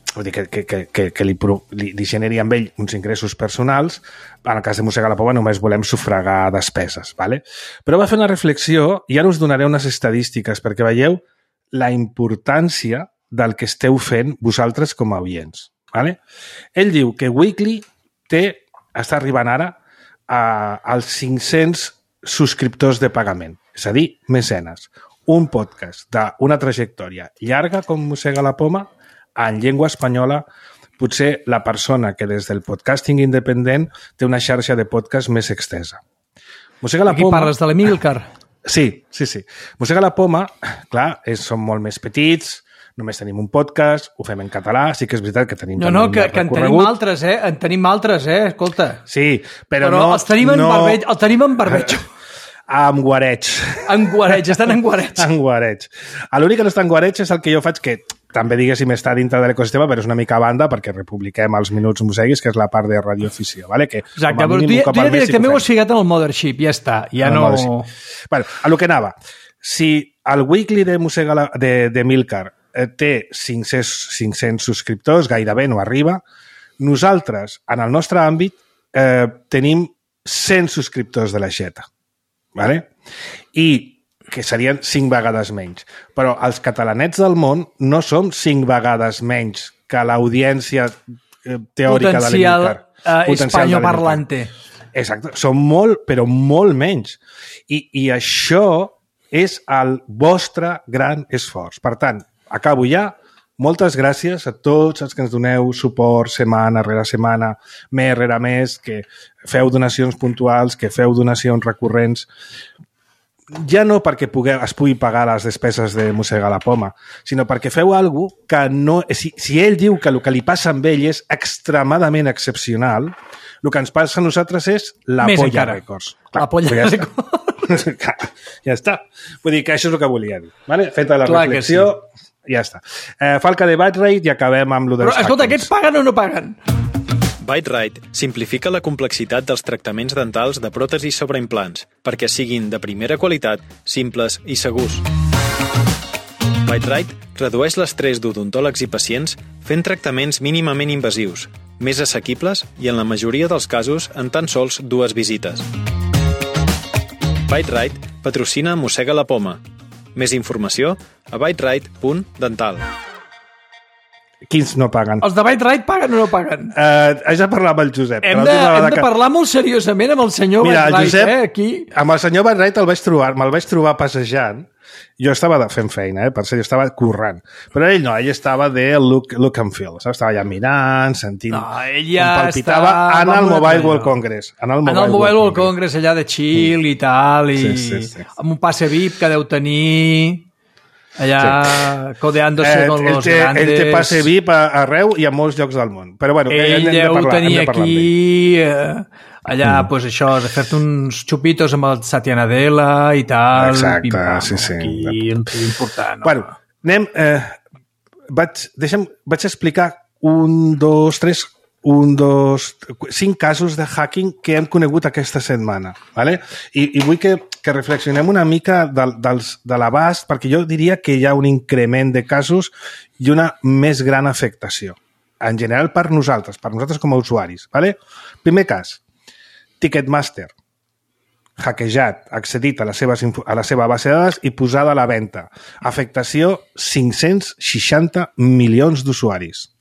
vull dir que li generi amb ell uns ingressos personals. En el cas de Mossega la Poma només volem sufragar despeses, ¿vale? Però va fer una reflexió i ara us donaré unes estadístiques perquè veieu la importància del que esteu fent vosaltres com a oients, ¿vale? Ell diu que Weekly està arribant ara als 500 subscriptors de pagament, és a dir, mecenes. Un podcast d'una trajectòria llarga com Mossega la Poma, en llengua espanyola, potser la persona que des del podcasting independent té una xarxa de podcast més extensa. Mossega la Poma... Aquí parles de l'Emilcar. Sí. Mossega la Poma, clar, som molt més petits, només tenim un podcast, ho fem en català, sí que és veritat que tenim... No, que en tenim altres, En tenim altres, escolta. Sí, però no... els tenim en barbeig, el tenim en barbeig. En guareig. Estan en guareig. En guareig. L'únic que no està en guareig és el que jo faig, que també, diguéssim, està dintre de l'ecosistema, però és una mica a banda perquè republiquem els minuts mosseguis, que és la part de radioafició, ¿vale? Que, exacte, però tu ja directament ho has ficat en el Mothership, ja està, ja no... Bueno, a lo que anava. Si el Weekly de Milcar té 500 subscriptors, gairebé no arriba, nosaltres, en el nostre àmbit, tenim 100 subscriptors de l'Aixeta, ¿vale? I que serien 5 vegades menys. Però els catalanets del món no som 5 vegades menys que l'audiència teòrica de l'Emilcar. Hispanoparlante. Exacte. Som molt, però molt menys. I això és el vostre gran esforç. Per tant, acabo ja. Moltes gràcies a tots els que ens doneu suport setmana rere setmana, mes rere mes, que feu donacions puntuals, que feu donacions recurrents. ja no perquè es pugui pagar les despeses de mossegar la poma, sinó perquè feu alguna cosa que no... Si ell diu que el que li passa amb ell és extremadament excepcional, el que ens passa a nosaltres és la Més Polla encara. Records. La Polla Records. Ja està. Vull dir que això és el que volia dir. Vale? Feta la Clar reflexió, ja està. Falca de Bitrate i acabem amb lo dels Però, escolta, hackers. aquests paguen o no paguen? Bitrate simplifica la complexitat dels tractaments dentals de pròtesis sobre implants perquè siguin de primera qualitat, simples i segurs. Bitrate redueix l'estrès d'odontòlegs i pacients fent tractaments mínimament invasius, més assequibles i en la majoria dels casos en tan sols 2 visites. Bitrate patrocina Mossega la Poma. Més informació a bitrate.dental. Quins no paguen? Els de Bitrate paguen o no paguen? Haig de parlar amb el Josep. Hem de parlar molt seriosament amb el senyor Bitrate, Josep, aquí. Amb el senyor Bitrate me'l vaig trobar passejant. Jo estava fent feina, per ser, jo estava currant. Però ell no, ell estava de look and feel. Estava allà mirant, sentint... No, ell ja palpitava en el Mobile World Congress. En el Mobile World Congress, allà de chill i tal, i sí. amb un passe VIP que deu tenir... allà codeándose con los grandes... Ell té passe VIP arreu i a molts llocs del món. Però bueno, ell deu tenir aquí... allà, pues això, de fer-te uns xupitos amb el Satya Nadella i tal. Exacte, sí. Aquí, important. Bueno, anem... Vaig explicar 5 casos de hacking que hem conegut aquesta setmana. ¿Vale? I vull que reflexionem una mica de l'abast, perquè jo diria que hi ha un increment de casos i una més gran afectació. En general per nosaltres com a usuaris. ¿Vale? Primer cas, Ticketmaster. Hackejat, accedit a la seva base de dades i posada a la venda. Afectació 560 milions d'usuaris.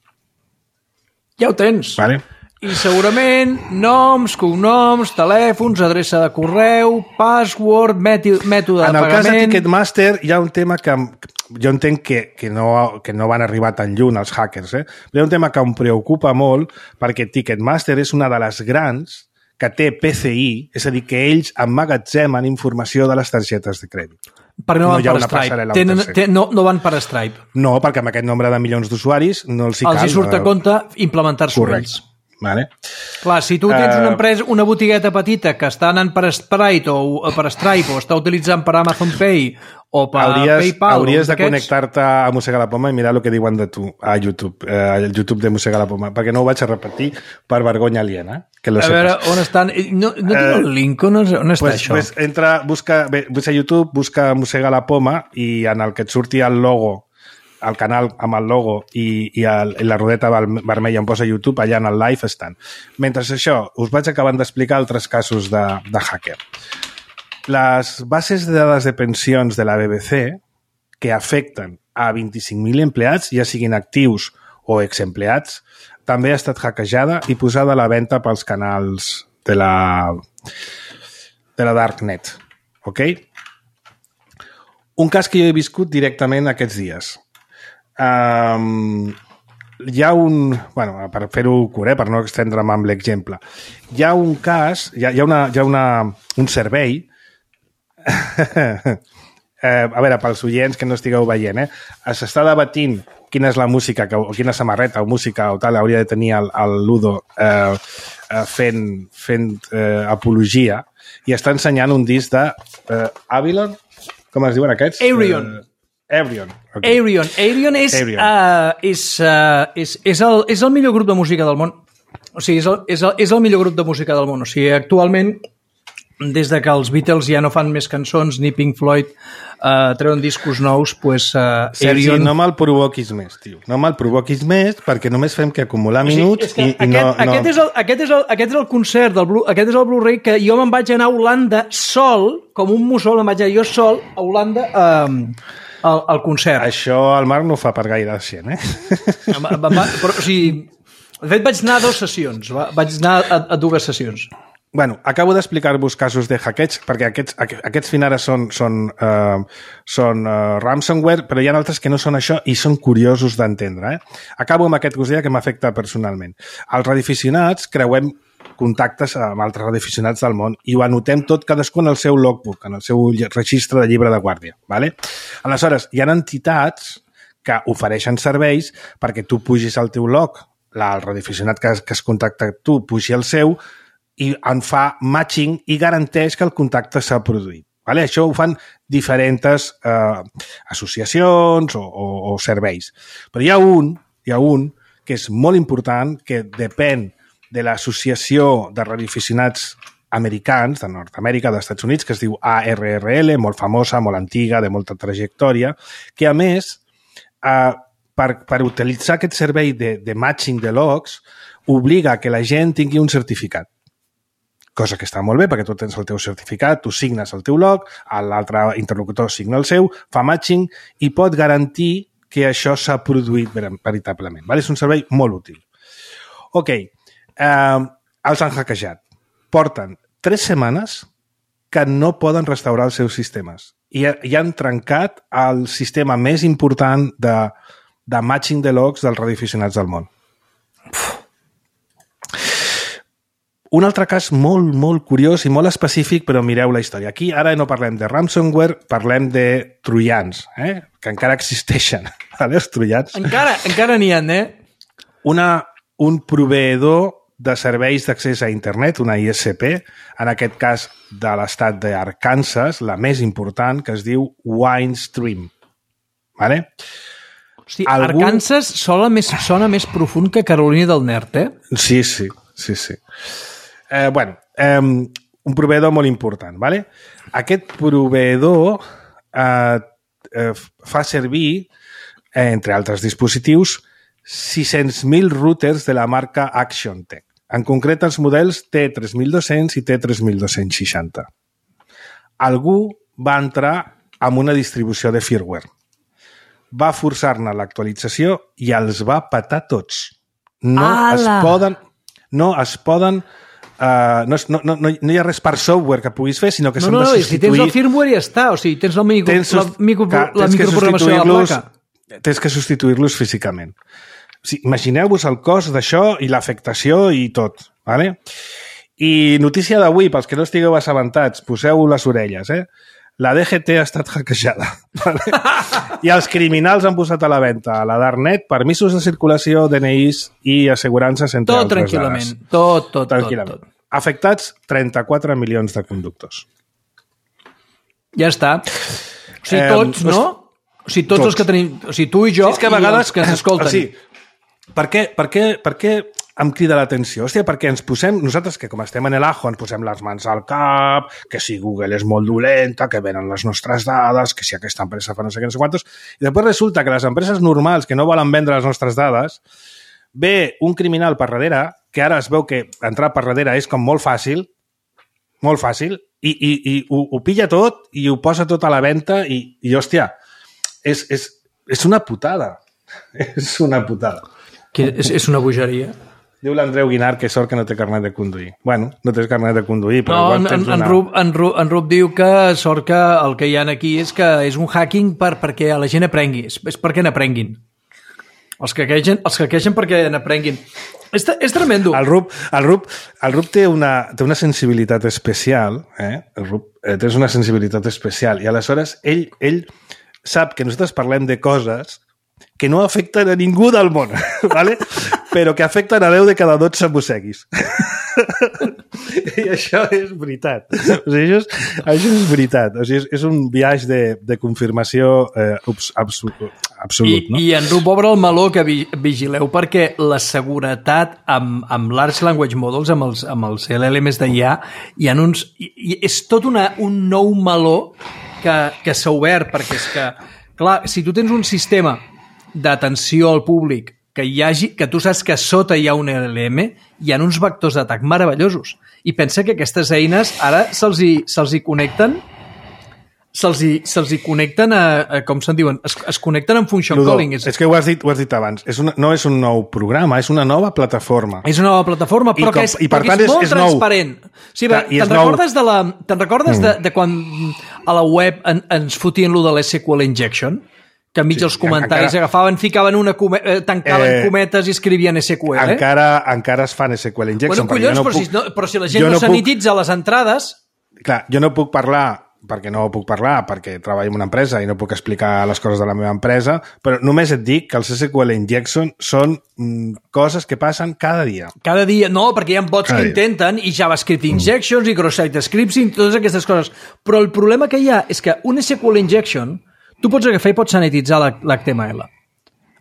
Ja ho tens. Vale. I segurament noms, cognoms, telèfons, adreça de correu, password, mètode de pagament... En el cas de Ticketmaster hi ha un tema que jo entenc que no van arribar tan lluny els hackers, però hi ha un tema que em preocupa molt perquè Ticketmaster és una de les grans que té PCI, és a dir, que ells emmagatzemen informació de les targetes de crèdit. Perquè no van per Stripe. No van per Stripe. No, perquè amb aquest nombre de milions d'usuaris no els hi cal. Els hi surt a compte implementar-s'ho ells. Vale. Clar, si tu tens una empresa, una botigueta petita que està anant per Stripe o està utilitzant per Amazon Pay o per PayPal... Hauries de connectar-te a Mossega la Poma i mirar el que diuen de tu a YouTube, al YouTube de Mossega la Poma, perquè no ho vaig a repetir per vergonya aliena. Que a veure, on estan? No tinc el link, on està això? Pues entra, busca a YouTube, busca Mossega la Poma i en el que et surti el logo, el canal amb el logo i la rodeta vermella on posa YouTube, allà en el live estan. Mentre això, us vaig acabant d'explicar altres casos de hacker. Les bases de dades de pensions de la BBC, que afecten a 25.000 empleats, ja siguin actius o exempleats, també ha estat hackejada i posada a la venda pels canals de la Darknet. Ok? Un cas que jo he viscut directament aquests dies. Hi ha un... Bueno, per fer-ho curt, per no extendre'm amb l'exemple. Hi ha un cas, hi ha un servei... a veure, pels oients que no estigueu veient, s'està debatint quina és la música o quina samarreta o música o tal hauria de tenir el Ludo fent apologia i està ensenyant un disc de Avalon, com es diuen aquests? Aerion. Okay. Aerion és el millor grup de música del món. O sigui, és el millor grup de música del món. O sigui, actualment, des de que els Beatles ja no fan més cançons, ni Pink Floyd treuen discos nous, doncs Sergi, no me'l provoquis més, tio. No me'l provoquis més, perquè només fem que acumular minuts i no... Aquest és el concert, aquest és el Blu-ray que jo me'n vaig anar a Holanda sol, com un mussol, me'n vaig anar jo sol a Holanda al concert. Això el Marc no fa per gaire gent, Però, o sigui, de fet vaig anar a 2 sessions, vaig anar a 2 sessions. Bueno, acabo d'explicar-vos casos de hackeig, perquè aquests fins ara són ransomware, però hi ha altres que no són això i són curiosos d'entendre. Acabo amb aquest que us deia que m'afecta personalment. Els radioaficionats creuem contactes amb altres radioaficionats del món i ho anotem tot cadascú en el seu logbook, en el seu registre de llibre de guàrdia. ¿Vale? Aleshores, hi ha entitats que ofereixen serveis perquè tu pugis al teu log, el radioaficionat que has contactat tu pugi el seu i en fa matching i garanteix que el contacte s'ha produït. Vale? Això ho fan diferents associacions o serveis. Però hi ha un que és molt important, que depèn de l'associació de radioaficionats americans, de Nord-Amèrica, dels Estats Units, que es diu ARRL, molt famosa, molt antiga, de molta trajectòria, que a més, per utilitzar aquest servei de matching de logs, obliga que la gent tingui un certificat. Cosa que està molt bé, perquè tu tens el teu certificat, tu signes el teu log, l'altre interlocutor signa el seu, fa matching i pot garantir que això s'ha produït veritablement. Vale? És un servei molt útil. Ok, els han hackejat. Porten 3 setmanes que no poden restaurar els seus sistemes i han trencat el sistema més important de matching de logs dels radioaficionats del món. Un altre cas molt, molt curiós i molt específic, però mireu la història. Aquí ara no parlem de ransomware, parlem de troians, que encara existeixen. Els troians. Encara n'hi ha, Un proveïdor de serveis d'accés a internet, una ISP, en aquest cas de l'estat d'Arkansas, la més important, que es diu Windstream. Vale? Hosti, Arkansas sona més profund que Carolina del Nord, Sí. Un proveïdor molt important. ¿Vale? Aquest proveïdor fa servir, entre altres dispositius, 600.000 routers de la marca ActionTech. En concret, els models T3200 i T3260. Algú va entrar amb una distribució de firmware. Va forçar-ne l'actualització i els va petar tots. No hi ha res per software que puguis fer, sinó que s'han de substituir... si tens el firmware ja està, o sigui, tens la microprogramació de la placa. Tens que substituir-los físicament. Imagineu-vos el cost d'això i l'afectació i tot. Vale? I notícia d'avui, pels que no estigueu assabentats, poseu les orelles. La DGT ha estat hackejada. Vale? I els criminals han posat a la venda a la Darknet permisos de circulació, DNIs i assegurances entre tot altres tranquil·lament. dades. Tot. Afectats 34 milions de conductors. Ja està. O sigui, tots, no? O sigui, tots els que tenim... O sigui, tu i jo que a vegades, i els que ens escolten. O sigui, per què em crida l'atenció? Hòstia, perquè ens posem... Nosaltres, que com estem en el ajo, ens posem les mans al cap, que si Google és molt dolenta, que venen les nostres dades, que si aquesta empresa fa no sé què, no sé quantos... I després resulta que les empreses normals que no volen vendre les nostres dades, ve un criminal per darrere, que ara es veu que entrar per darrere és com molt fàcil, i ho pilla tot i ho posa tot a la venda i hòstia, és una putada. És una putada. És una bogeria. Diu l'Andreu Guinar que sort que no té carnet de conduir. Bueno, no tens carnet de conduir, però igual tens una... En Rup diu que sort que el que hi ha aquí és que és un hacking perquè la gent aprengui. És perquè n'aprenguin. Els que queixen perquè n'aprenguin. És tremendo. El Rup té una sensibilitat especial. El Rup té una sensibilitat especial. I aleshores ell sap que nosaltres parlem de coses que no afecten a ningú del món, ¿vale? Però que afecten a 10 de cada 12 mosseguis. I això és veritat. O sigui, això és veritat. O sigui, és un viatge de confirmació absolut. No? I en Rup obre el meló que vigileu perquè la seguretat amb Large Language Models, amb els LLMs d'IA, hi ha uns... És tot un nou meló que s'ha obert, perquè és que, clar, si tu tens un sistema d'atenció al públic que tu saps que sota hi ha un LLM, hi ha uns vectors d'atac meravellosos. I pensa que aquestes eines ara se'ls hi connecten a com se'n diuen, es connecten amb function calling. És que ho has dit abans, no és un nou programa, és una nova plataforma. És una nova plataforma, però que és molt transparent. Sí, te'n recordes de quan a la web ens fotien lo de l'SQL Injection? Que enmig els comentaris agafaven, ficaven tancaven cometes i escrivien SQL. Encara es fan SQL injection. Bueno, collons, però si la gent no sanititza les entrades... Clar, jo no puc parlar perquè treballo en una empresa i no puc explicar les coses de la meva empresa, però només et dic que els SQL injection són coses que passen cada dia. Cada dia, no, perquè hi ha bots que intenten, i JavaScript injections, i cross-site scripts, i totes aquestes coses. Però el problema que hi ha és que un SQL injection, tu pots agafar i pots sanititzar l'HTML,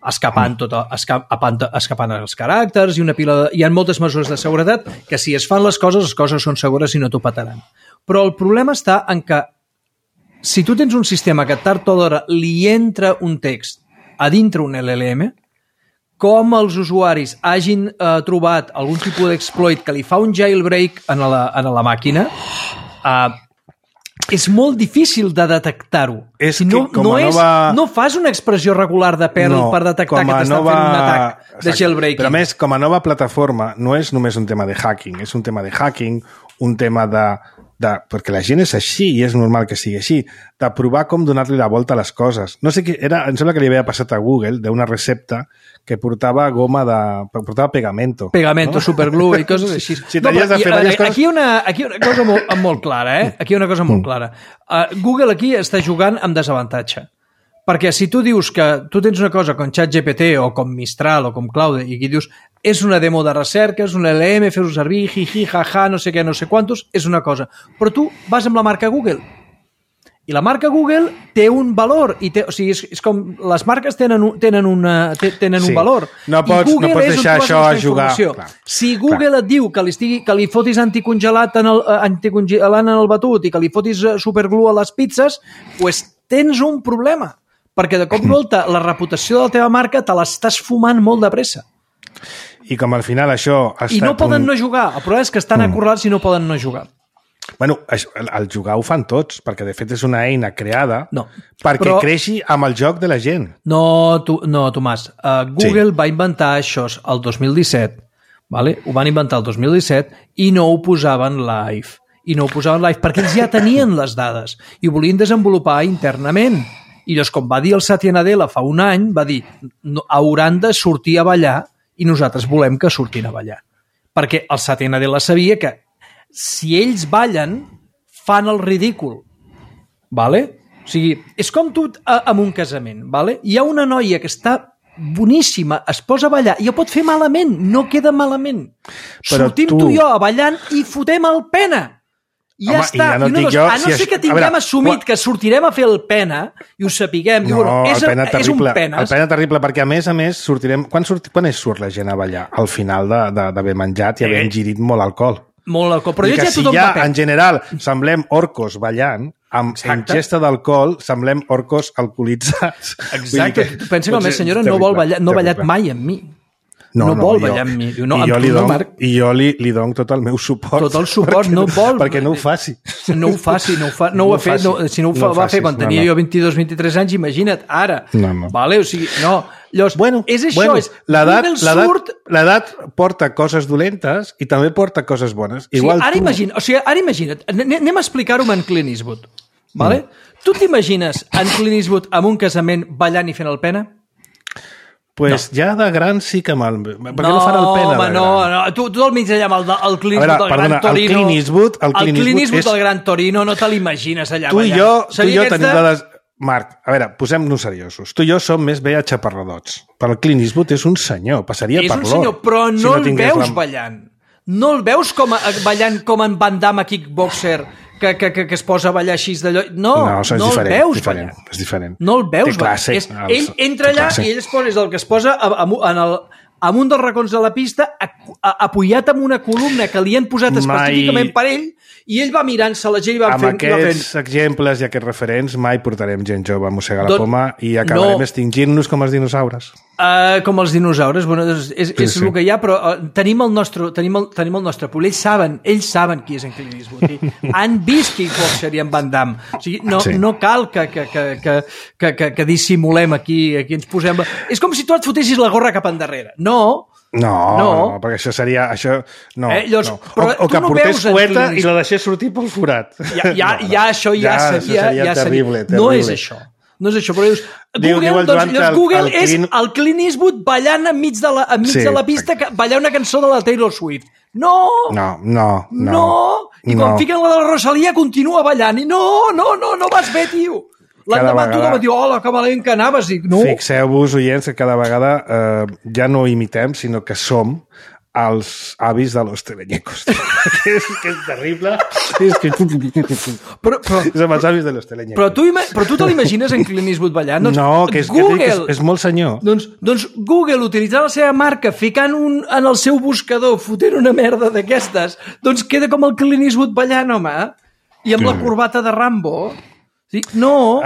escapant els caràcters i una pila de... Hi ha moltes mesures de seguretat que si es fan les coses són segures i no t'ho petaran. Però el problema està en que si tu tens un sistema que tard o d'hora li entra un text a dintre un LLM, com els usuaris hagin trobat algun tipus d'exploit que li fa un jailbreak a la màquina, és molt difícil de detectar-ho. No fas una expressió regular de Perl per detectar que t'estan fent un atac de jailbreaking. Però a més, com a nova plataforma, no és només un tema de hacking, és un tema de hacking, un tema perquè la gent és així i és normal que sigui així, de provar com donar-li la volta a les coses. No sé què era, em sembla que li havia passat a Google d'una recepta que portava portava pegamento. Pegamento, no? Superglue i coses així. Si t'havies de fer diverses coses... Aquí hi ha una cosa molt clara, Aquí hi ha una cosa molt clara. Google aquí està jugant amb desavantatge. Perquè si tu dius que tu tens una cosa com ChatGPT o com Mistral o com Claude i aquí dius és una demo de recerca, és un LM, fes-ho servir, jiji, jaja, no sé què, no sé quantos, és una cosa. Però tu vas amb la marca Google. I la marca Google té un valor. O sigui, és com les marques tenen un valor. No pots deixar això a jugar. Si Google et diu que li fotis anticongelant en el batut i que li fotis superglue a les pizzas, doncs tens un problema. Perquè de cop i volta la reputació de la teva marca te l'estàs fumant molt de pressa. I com al final això... I no poden no jugar. El problema és que estan acorralats i no poden no jugar. Bueno, el jugar ho fan tots, perquè de fet és una eina creada perquè creixi amb el joc de la gent. No, Tomàs. Google va inventar això el 2017. Vale? Ho van inventar el 2017 i no ho posaven live. Perquè ells ja tenien les dades i ho volien desenvolupar internament. I llavors, com va dir el Satya Nadella fa un any, va dir hauran de sortir a ballar i nosaltres volem que surtin a ballar. Perquè el Satya Nadella sabia que si ells ballen, fan el ridícul. Vale? O sigui, és com tu en un casament. Vale? Hi ha una noia que està boníssima, es posa a ballar i ho pot fer malament, no queda malament. Sortim tu i jo a ballant i fotem el pena. I ja està. A no ser que tinguem assumit que sortirem a fer el pena i ho sapiguem. És un penes. El pena terrible, perquè a més sortirem... Quan surt la gent a ballar? Al final d'haver menjat i haver ingerit molt alcohol. Molt alcohol. Però ja si ja, en general, semblem orcos ballant, amb ingesta d'alcohol, semblem orcos alcoholitzats. Exacte. Tu pensa que la meva senyora no ha ballat mai amb mi. No vol ballar amb mi. I jo li dono tot el meu suport. Tot el suport, no vol. Perquè no ho faci. No ho faci, no ho ha fet. Si no ho va fer quan tenia jo 22-23 anys, imagina't, ara. Vale? O sigui, no. Llavors, és això. L'edat porta coses dolentes i també porta coses bones. Ara imagina't, anem a explicar-ho amb en Clint Eastwood. Vale? Tu t'imagines en Clint Eastwood amb un casament ballant i fent el pena? Pues ja de gran sí que mal... Per què no fan el pena de gran? No. Tu al mig allà amb el Clint Eastwood del Gran Torino... El Clint Eastwood del Gran Torino no te l'imagines allà ballant. Tu i jo tenim dades... Marc, a veure, posem-nos seriosos. Tu i jo som més bé a-xaparradots. Per el Clint Eastwood és un senyor, passaria per l'or. És un senyor, però no el veus ballant. No el veus ballant com en Van Damme a Kickboxer, que es posa a ballar així d'allò. No el veus ballant. És diferent. No el veus ballant. Ell entra allà i ell és el que es posa en un dels racons de la pista, apoyat amb una columna que li han posat específicament per ell, i ell va mirant-se la gent i va fent... Amb aquests exemples i aquests referents mai portarem gent jove a mossegar la poma i acabarem extingint-nos com els dinosaures. Com els dinosaures, bueno, és el que hi ha, però tenim el nostre poble. Ells saben qui és en Clint Eastwood. Han vist Kickboxer i en Van Damme. O sigui, no cal que dissimulem aquí ens posem... És com si tu et fotessis la gorra cap endarrere. No, perquè això seria... O que portés cueta i la deixés sortir pel forat. Això ja seria... No és això. No és això, però dius... Google és el Clint Eastwood ballant enmig de la pista, ballant una cançó de la Taylor Swift. No! I quan fiquen la de la Rosalia continua ballant. I no vas bé, tio! L'endemà tothom diu, hola, que valent que anaves. Fixeu-vos, oients, que cada vegada ja no imitem, sinó que som els avis de los teleñecos. que és terrible. Som els avis de los teleñecos. Però tu te l'imagines en Clint Eastwood ballant? No, que és molt senyor. Doncs Google, utilitzant la seva marca, ficant en el seu buscador, fotent una merda d'aquestes, doncs queda com el Clint Eastwood ballant, home, i amb la corbata de Rambo. No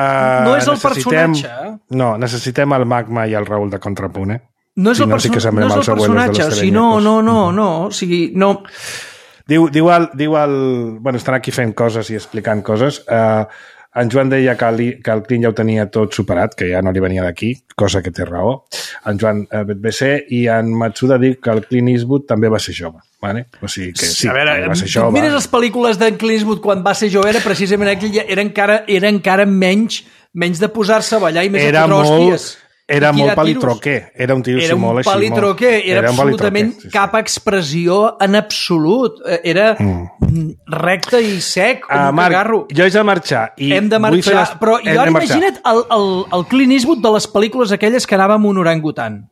és el personatge. No, necessitem el Magma i el Raül de Contrapunt, No és el personatge, o sigui, no. O sigui, no... Diu el... Bueno, estan aquí fent coses i explicant coses. En Joan deia que el Clint ja ho tenia tot superat, que ja no li venia d'aquí, cosa que té raó. En Joan BC i en Matsuda diu que el Clint Eastwood també va ser jove. Vale? O sigui que sí, va ser jove. Mires les pel·lícules d'en Clint Eastwood quan va ser jove, era precisament aquell, era encara menys de posar-se a ballar i més a fotre hòsties. Era molt palitroquer, era un tio així molt així. Era un palitroquer, era absolutament cap expressió en absolut. Era recte i sec, com un cagarro. Jo haig de marxar. Hem de marxar, però jo ara imagina't el Clint Eastwood de les pel·lícules aquelles que anava amb un orangutan.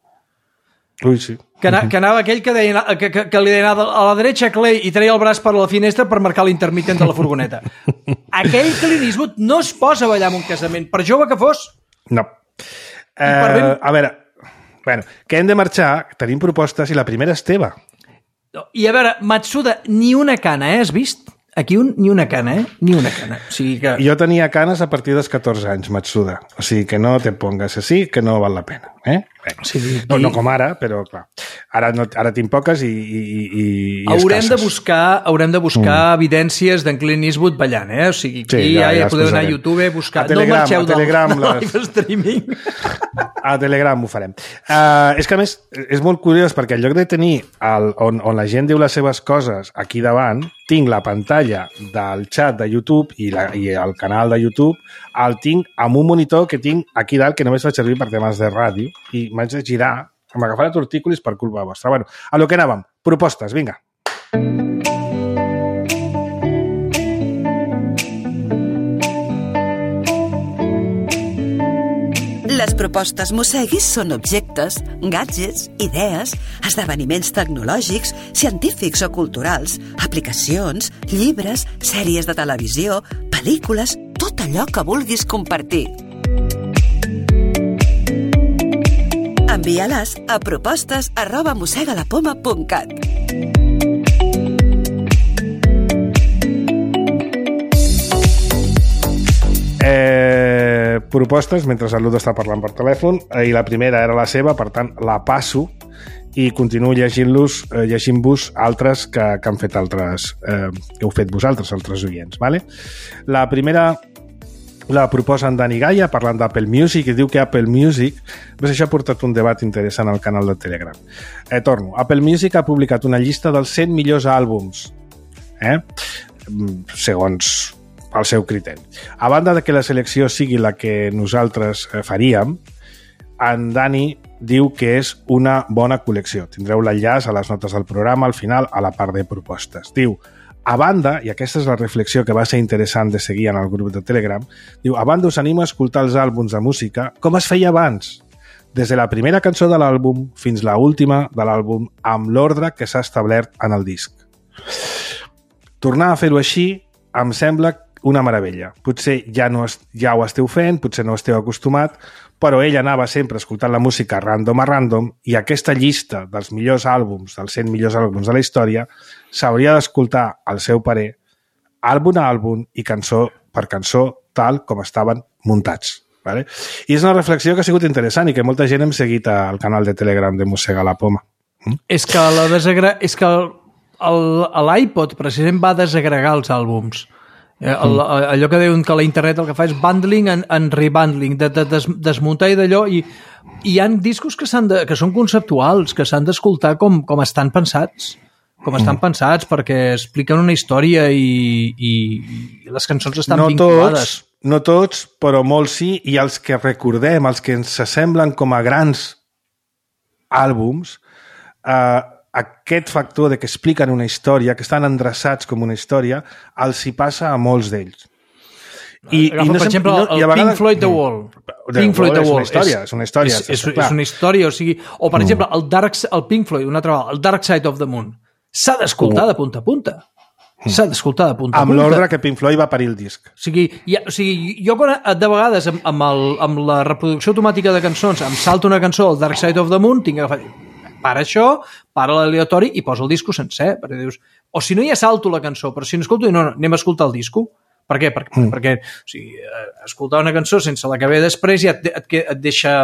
Ui, sí. Que anava aquell que li deia a la dreta Clay i treia el braç per la finestra per marcar l'intermitent de la furgoneta. Aquell Clint Eastwood no es posa a ballar en un casament, per jove que fos. No. A veure, bueno, que hem de marxar, tenim propostes i la primera és teva. I a veure, Matsuda, ni una cana, has vist? Aquí ni una cana, Ni una cana. O sigui que... Jo tenia canes a partir dels 14 anys, Matsuda. O sigui que no te pongas així, que no val la pena. Sí, no com ara, però clar. Ara tinc poques i haurem de buscar evidències d'en Clint Eastwood ballant, O sigui, aquí ja podeu anar a YouTube a buscar. No marxeu del live streaming. A Telegram ho farem. És que a més és molt curiós perquè en lloc de tenir on la gent diu les seves coses aquí davant, tinc la pantalla del xat de YouTube i el canal de YouTube el tinc amb un monitor que tinc aquí dalt que només fa servir per temes de ràdio i m'haig de girar, m'agafarà tortícolis per culpa vostra. Bueno, a lo que anàvem. Propostes, vinga. Les propostes Mosseguis són objectes, gadgets, idees, esdeveniments tecnològics, científics o culturals, aplicacions, llibres, sèries de televisió, pel·lícules, tot allò que vulguis compartir. Envia-les a propostes@mossegalapoma.cat. Propostes, mentre el Ludo està parlant per telèfon, i la primera era la seva, per tant, la passo i continuo llegint-vos altres que han fet altres, que heu fet vosaltres, altres oients. Vale? La primera la proposa en Dani Gaia, parlant d'Apple Music, i diu que Apple Music, doncs això ha portat un debat interessant al canal de Telegram. Torno. Apple Music ha publicat una llista dels 100 millors àlbums, segons el seu criteri. A banda de que la selecció sigui la que nosaltres faríem, en Dani diu que és una bona col·lecció. Tindreu l'enllaç a les notes del programa al final, a la part de propostes. Diu, a banda, i aquesta és la reflexió que va ser interessant de seguir en el grup de Telegram, diu, a banda us animo a escoltar els àlbums de música com es feia abans, des de la primera cançó de l'àlbum fins la última de l'àlbum, amb l'ordre que s'ha establert en el disc. Tornar a fer-ho així em sembla una meravella. Potser ja ho esteu fent, potser no esteu acostumat, però ell anava sempre escoltant la música random a random i aquesta llista dels millors àlbums, dels 100 millors àlbums de la història, s'hauria d'escoltar, al seu parer, àlbum a àlbum i cançó per cançó, tal com estaven muntats. Vale? I és una reflexió que ha sigut interessant i que molta gent hem seguit al canal de Telegram de Mossega la Poma. És que l'iPod precisament va desagregar els àlbums. Allò que diuen que la internet el que fa és bundling en rebundling, de desmuntar i d'allò, i hi ha discos que són conceptuals, que s'han d'escoltar com estan pensats. com estan pensats, perquè expliquen una història i les cançons estan vinculades. No tots, però molts sí, i els que recordem, els que ens semblen com a grans àlbums, aquest factor de que expliquen una història, que estan endreçats com una història, els hi passa a molts d'ells. Per exemple, el Pink Floyd The Wall. Pink Floyd The Wall és una història. És una història, o sigui... O, per exemple, el Pink Floyd, una altra vegada, el Dark Side of the Moon. S'ha d'escoltar de punta a punta. S'ha d'escoltar de punta a punta. Amb l'ordre que Pink Floyd va parir el disc. O sigui, jo de vegades amb la reproducció automàtica de cançons em salto una cançó, el Dark Side of the Moon, tinc que agafar... Para això, para l'aleatori i posa el disco sencer. Perquè dius... O si no, ja salto la cançó, però si no escolto, no, anem a escoltar el disco. Per què? Perquè o sigui, escoltar una cançó sense la que ve després ja et deixa...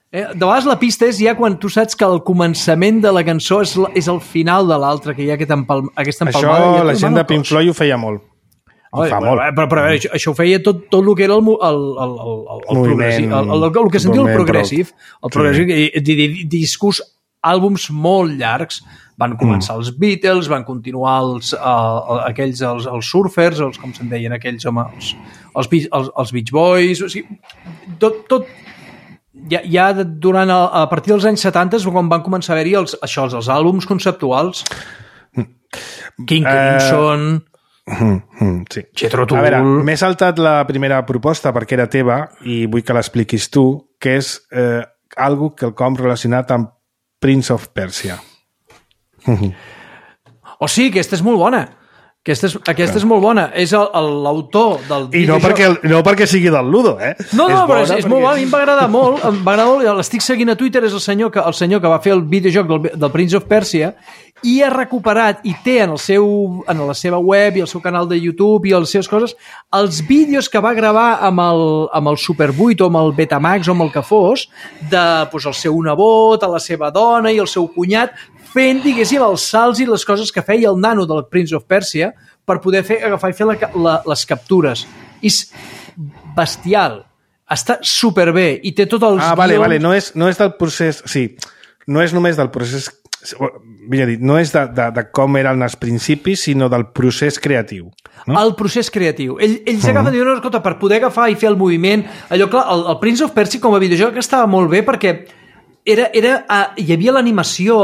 De vegades la pista és ja quan tu saps que el començament de la cançó és el final de l'altra, que hi ha aquesta empalmada. Això la gent de Pink Floyd ho feia molt. Molt. Però a veure, això ho feia tot el que era el progressiu, el que sentia el progressive. El progressive, discos, àlbums molt llargs. Van començar els Beatles, van continuar els surfers, com se'n deien aquells, home, els Beach Boys, o sigui, tot ja durant, a partir dels anys 70 quan van començar a haver-hi els àlbums conceptuals. King Crimson, sí. Jethro Tull... A veure, m'he saltat la primera proposta perquè era teva i vull que l'expliquis tu, que és algo quelcom relacionat amb Prince of Persia. O sí, aquesta és molt bona. Aquesta és molt bona. És l'autor del videojoc. I no perquè sigui del Ludo, eh? No, però és molt bona. A mi em va agradar molt. L'estic seguint a Twitter, és el senyor que va fer el videojoc del Prince of Persia i ha recuperat i té en la seva web i el seu canal de YouTube i les seves coses els vídeos que va gravar amb el Super 8 o amb el Betamax o amb el que fos el seu nebot, la seva dona i el seu cunyat fent, diguéssim, els salts i les coses que feia el nano del Prince of Persia per poder agafar i fer les captures. És bestial. Està superbé i té tot els guions... Vale. No és del procés... Sí, no és només del procés... Vull dir, no és de com eren els principis, sinó del procés creatiu. No? El procés creatiu. Ells agafen i diuen, escolta, per poder agafar i fer el moviment... Allò, clar, el Prince of Persia com a videojoc estava molt bé perquè hi havia l'animació,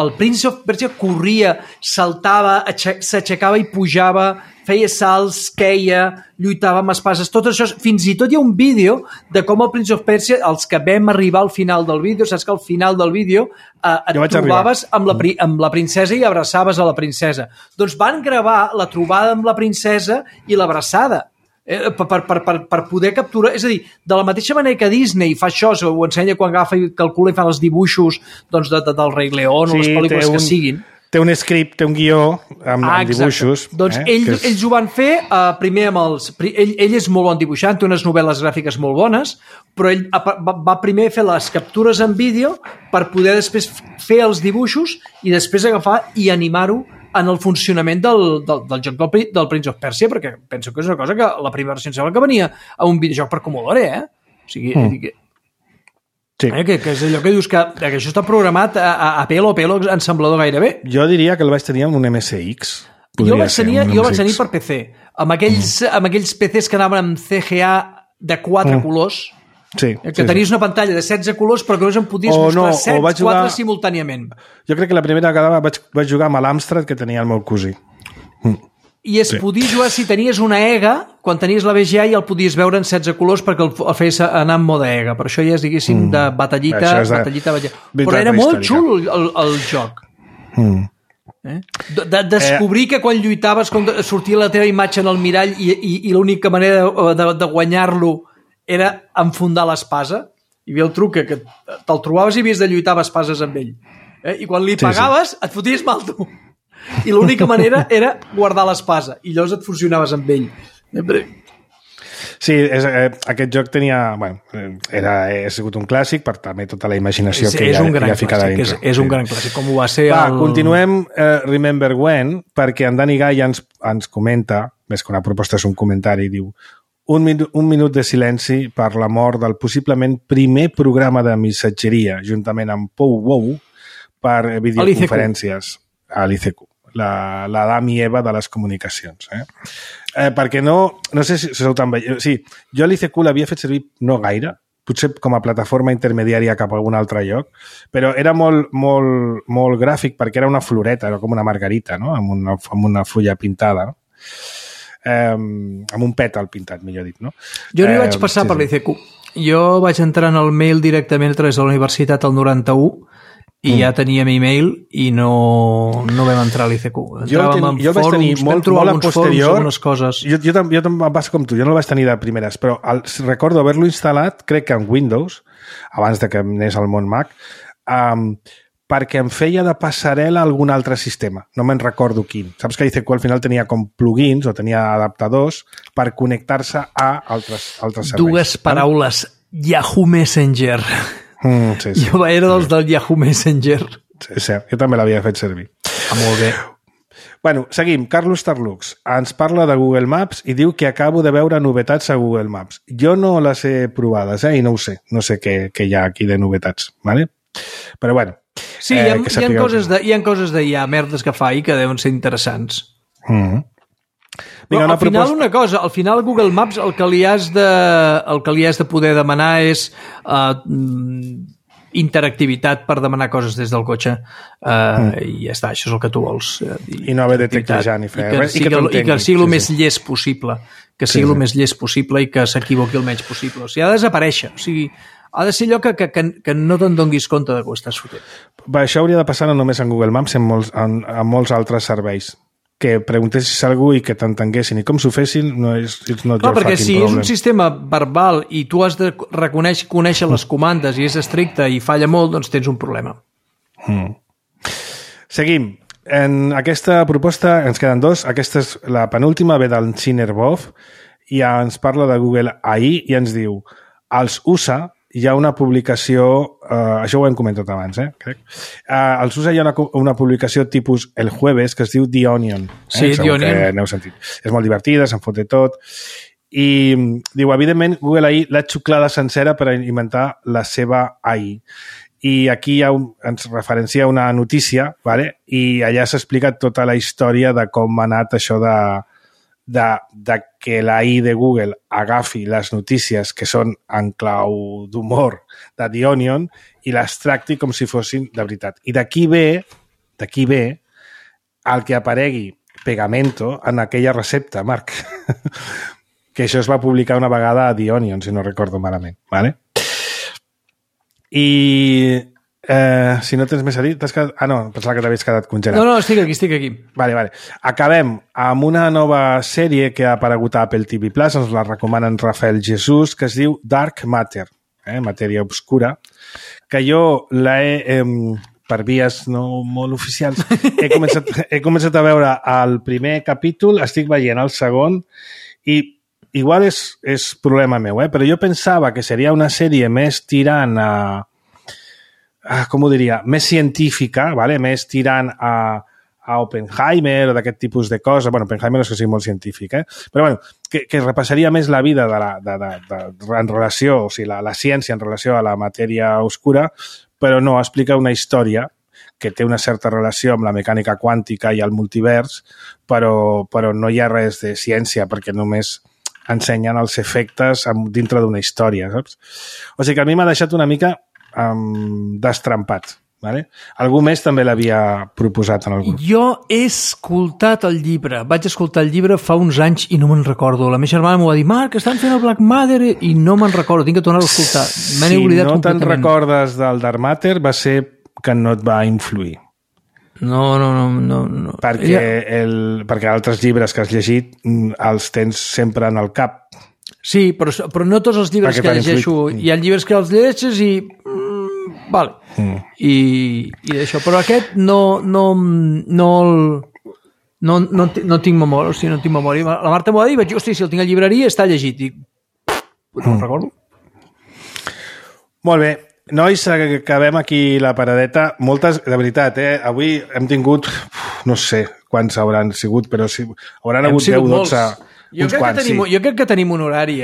el Prince of Persia corria, saltava, s'aixecava i pujava, feia salts, queia, lluitava amb espases, tot això, fins i tot hi ha un vídeo de com el Prince of Persia, els que vam arribar al final del vídeo, saps que al final del vídeo et trobaves amb la princesa i abraçaves a la princesa. Doncs van gravar la trobada amb la princesa i l'abraçada. Per poder capturar, és a dir, de la mateixa manera que Disney fa això, ho ensenya quan agafa i calcula i fa els dibuixos doncs, del Rei León o les pel·lícules que siguin. Té un script, té un guió amb dibuixos. Doncs ells ho van fer primer amb els... Ell és molt bon dibuixant, té unes novel·les gràfiques molt bones, però ell va primer fer les captures en vídeo per poder després fer els dibuixos i després agafar i animar-ho en el funcionament del joc del Prince of Persia, perquè penso que és una cosa que la primera versió em sembla que venia a un videojoc per Commodore, O sigui, sí. Que és allò que dius que això està programat a pelo ensamblador gairebé. Jo diria que el vaig tenir amb un MSX. Jo el vaig tenir per PC, amb aquells PCs que anaven amb CGA de 4 colors, sí, que tenies una pantalla de 16 colors però que només en podies mostrar 4 simultàniament. Jo crec que la primera vegada vaig jugar amb l'Amstrad que tenia el meu cosí. I podia jugar, si tenies una EGA, quan tenies la VGA ja el podies veure en 16 colors perquè el feies anar en mode EGA, però això ja és, diguéssim, de batallita. Però era molt xulo el joc. Descobrir que quan lluitaves sortia la teva imatge en el mirall i l'única manera de guanyar-lo era enfundar l'espasa. Hi havia el truc que te'l trobaves i havies de lluitar amb espases amb ell. I quan li pagaves et foties mal tu. I l'única manera era guardar l'espasa i llavors et fusionaves amb ell. Sí, aquest joc tenia... Bueno, ha sigut un clàssic per també tota la imaginació que hi ha ficada dintre. És un gran clàssic, com ho va ser continuem Remember When, perquè en Dani Gai ens comenta, més que una proposta és un comentari, diu un minut de silenci per la mort del possiblement primer programa de missatgeria, juntament amb Pou Wow, per videoconferències a l'ICQ. l'Adam i Eva de les comunicacions. Perquè no sé si sou tan veient. Sí, jo l'ICQ l'havia fet servir no gaire, potser com a plataforma intermediària cap a algun altre lloc, però era molt gràfic perquè era una floreta, era com una margarita, no? amb una fulla pintada, no? Amb un pètal pintat, millor dit, no? Jo no hi vaig passar per l'ICQ. Jo vaig entrar en el mail directament a través de la universitat al 91 i ja teníem e-mail i no vam entrar a l'ICQ. Entràvem en fòrums, vam trobar alguns fòrums, algunes coses. Jo també em passa com tu, jo no el vaig tenir de primeres, però recordo haver-lo instal·lat, crec que en Windows, abans de que anés al món Mac, perquè em feia de passarel·la a algun altre sistema. No me'n recordo quin. Saps que l'ICQ al final tenia com plugins o tenia adaptadors per connectar-se a altres serveis. Dues paraules. Yahoo Messenger. Sí. Jo era dels del Yahoo Messenger. Sí, cert. Jo també l'havia fet servir. Molt bé. Bueno, seguim. Carlos Tarlux ens parla de Google Maps i diu que acabo de veure novetats a Google Maps. Jo no les he provades, i no ho sé. No sé què hi ha aquí de novetats, ¿vale? Però bueno. Sí, hi ha coses de merdes que fa i que deuen ser interessants. Vinga, al final una cosa, al final Google Maps el que li has de poder demanar és interactivitat per demanar coses des del cotxe i ja està, això és el que tu vols. I no haver de teclejar ni fer res. I que sigui el més llest possible. Que sigui el més llest possible i que s'equivoqui el menys possible. O sigui, ha de desaparèixer. O sigui, ha de ser allò que no te'n donguis compte de que ho estàs fotent. Això hauria de passar no només en Google Maps, en molts altres serveis. Que preguntessis a algú i que t'entenguessin. I com s'ho fessin, no és not your perquè fucking si problem. És un sistema verbal i tu has de conèixer les comandes i és estricte i falla molt, doncs tens un problema. Seguim. En aquesta proposta ens queden dos. Aquesta és la penúltima, ve del Chiner Bov, i ens parla de Google AI i ens diu: als USA hi ha una publicació, això ho hem comentat abans, crec. Als USA hi ha una publicació tipus El Jueves que es diu The Onion. Sí, The Onion. Que n'heu sentit. És molt divertida, se'n fot de tot. I diu, evidentment, Google AI l'ha xuclada sencera per inventar la seva AI. I aquí ens referencia una notícia, ¿vale? I allà s'explica tota la història de com ha anat això de que la AI de Google agafi les notícies que són en clau d'humor de The Onion i les tracti com si fossin de veritat. I d'aquí ve el que aparegui Pegamento en aquella recepta, Marc. Que això es va publicar una vegada a The Onion, si no recordo malament. ¿Vale? I si no tens més a dir, t'has quedat... Ah, no, pensava que t'havies quedat congelat. No, estic aquí. Vale. Acabem amb una nova sèrie que ha aparegut a Apple TV+, ens la recomanen Rafael Jesús, que es diu Dark Matter, matèria obscura, que jo l'he... per vies no molt oficials, he començat a veure el primer capítol, estic veient el segon, i igual és problema meu, però jo pensava que seria una sèrie més tirant a... com ho diria? Més científica, ¿vale? Més tirant a Oppenheimer o d'aquest tipus de coses. Bueno, Oppenheimer no és que sigui molt científic, però bueno, que repassaria més la vida en relació, o sigui, la ciència en relació a la matèria oscura, però no, explica una història que té una certa relació amb la mecànica quàntica i el multivers, però no hi ha res de ciència, perquè només ensenyen els efectes dintre d'una història, saps? O sigui que a mi m'ha deixat una mica destrampat. Vale? Algú més també l'havia proposat en el grup. Jo he escoltat el llibre. Vaig escoltar el llibre fa uns anys i no me'n recordo. La meva germana m'ho va dir, Marc, estan fent el Black Matter i no me'n recordo. Tinc que tornar-ho a escoltar. Si no te'n recordes del Dark Matter va ser que no et va influir. No. Perquè altres llibres que has llegit els tens sempre en el cap. Sí, però no tots els llibres que llegeixo. Hi ha llibres que els llegeixes i... Vale. I d'això. Però aquest no tinc memòria. O sigui, no tinc memòria. La Marta m'ho va dir i vaig dir, hosti, si el tinc a llibreria està llegit. I no el recordo. Molt bé. Nois, acabem aquí la paradeta. Moltes, de veritat, avui hem tingut, no sé quants hauran sigut, però sí, hauran hagut 10 o 12... Jo crec que tenim un horari,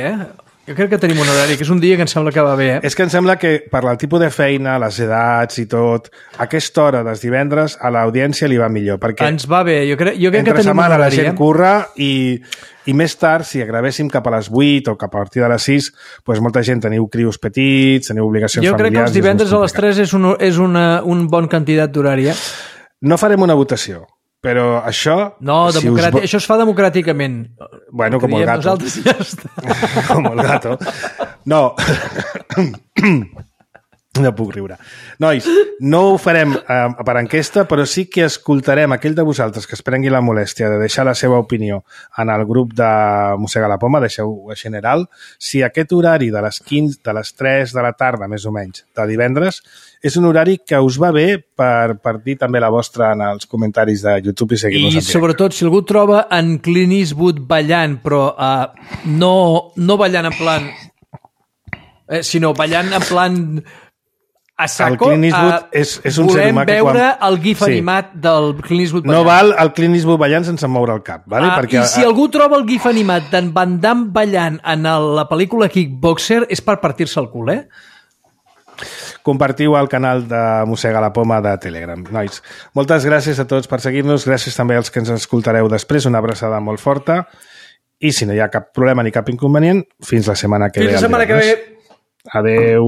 Jo crec que tenim un horari, que és un dia que em sembla que va bé, eh? És que em sembla que per el tipus de feina, les edats i tot, aquesta hora dels divendres a l'audiència li va millor, perquè Ens va bé, jo crec que entre tenim un setmana la horari, gent curra i més tard, si gravéssim cap a les 8 o cap a partir de les 6, doncs molta gent teniu crios petits, teniu obligacions Jo crec que familiars... els divendres a les 3 és un bon candidat d'horari, eh? No farem una votació, però això... No, això es fa democràticament. Bueno, com el gato. Nosaltres ja està. Com el gato. No. No puc riure. Nois, no ho farem per enquesta, però sí que escoltarem aquell de vosaltres que es prengui la molèstia de deixar la seva opinió en el grup de Mossega la Poma, deixeu a general, si aquest horari de les 15, de les 3 de la tarda, més o menys, de divendres, és un horari que us va bé per dir també la vostra en els comentaris de YouTube i seguir-nos en I directe. sobretot, si algú troba en Clint Eastwood ballant, però no ballant en plan... sinó ballant en plan... a saco, el Clint Eastwood és un ser humà que volem veure el gif animat del Clint Eastwood ballant. No val el Clint Eastwood ballant sense moure el cap, vale? Perquè, I si algú troba el gif animat d'en Van Damme ballant en la pel·lícula Kickboxer és per partir-se el cul, eh? Compartiu al canal de Mossega la Poma de Telegram. Nois, moltes gràcies a tots per seguir-nos, gràcies també als que ens escoltareu després, una abraçada molt forta, i si no hi ha cap problema ni cap inconvenient, fins la setmana que ve. Fins la setmana que ve. Adeu.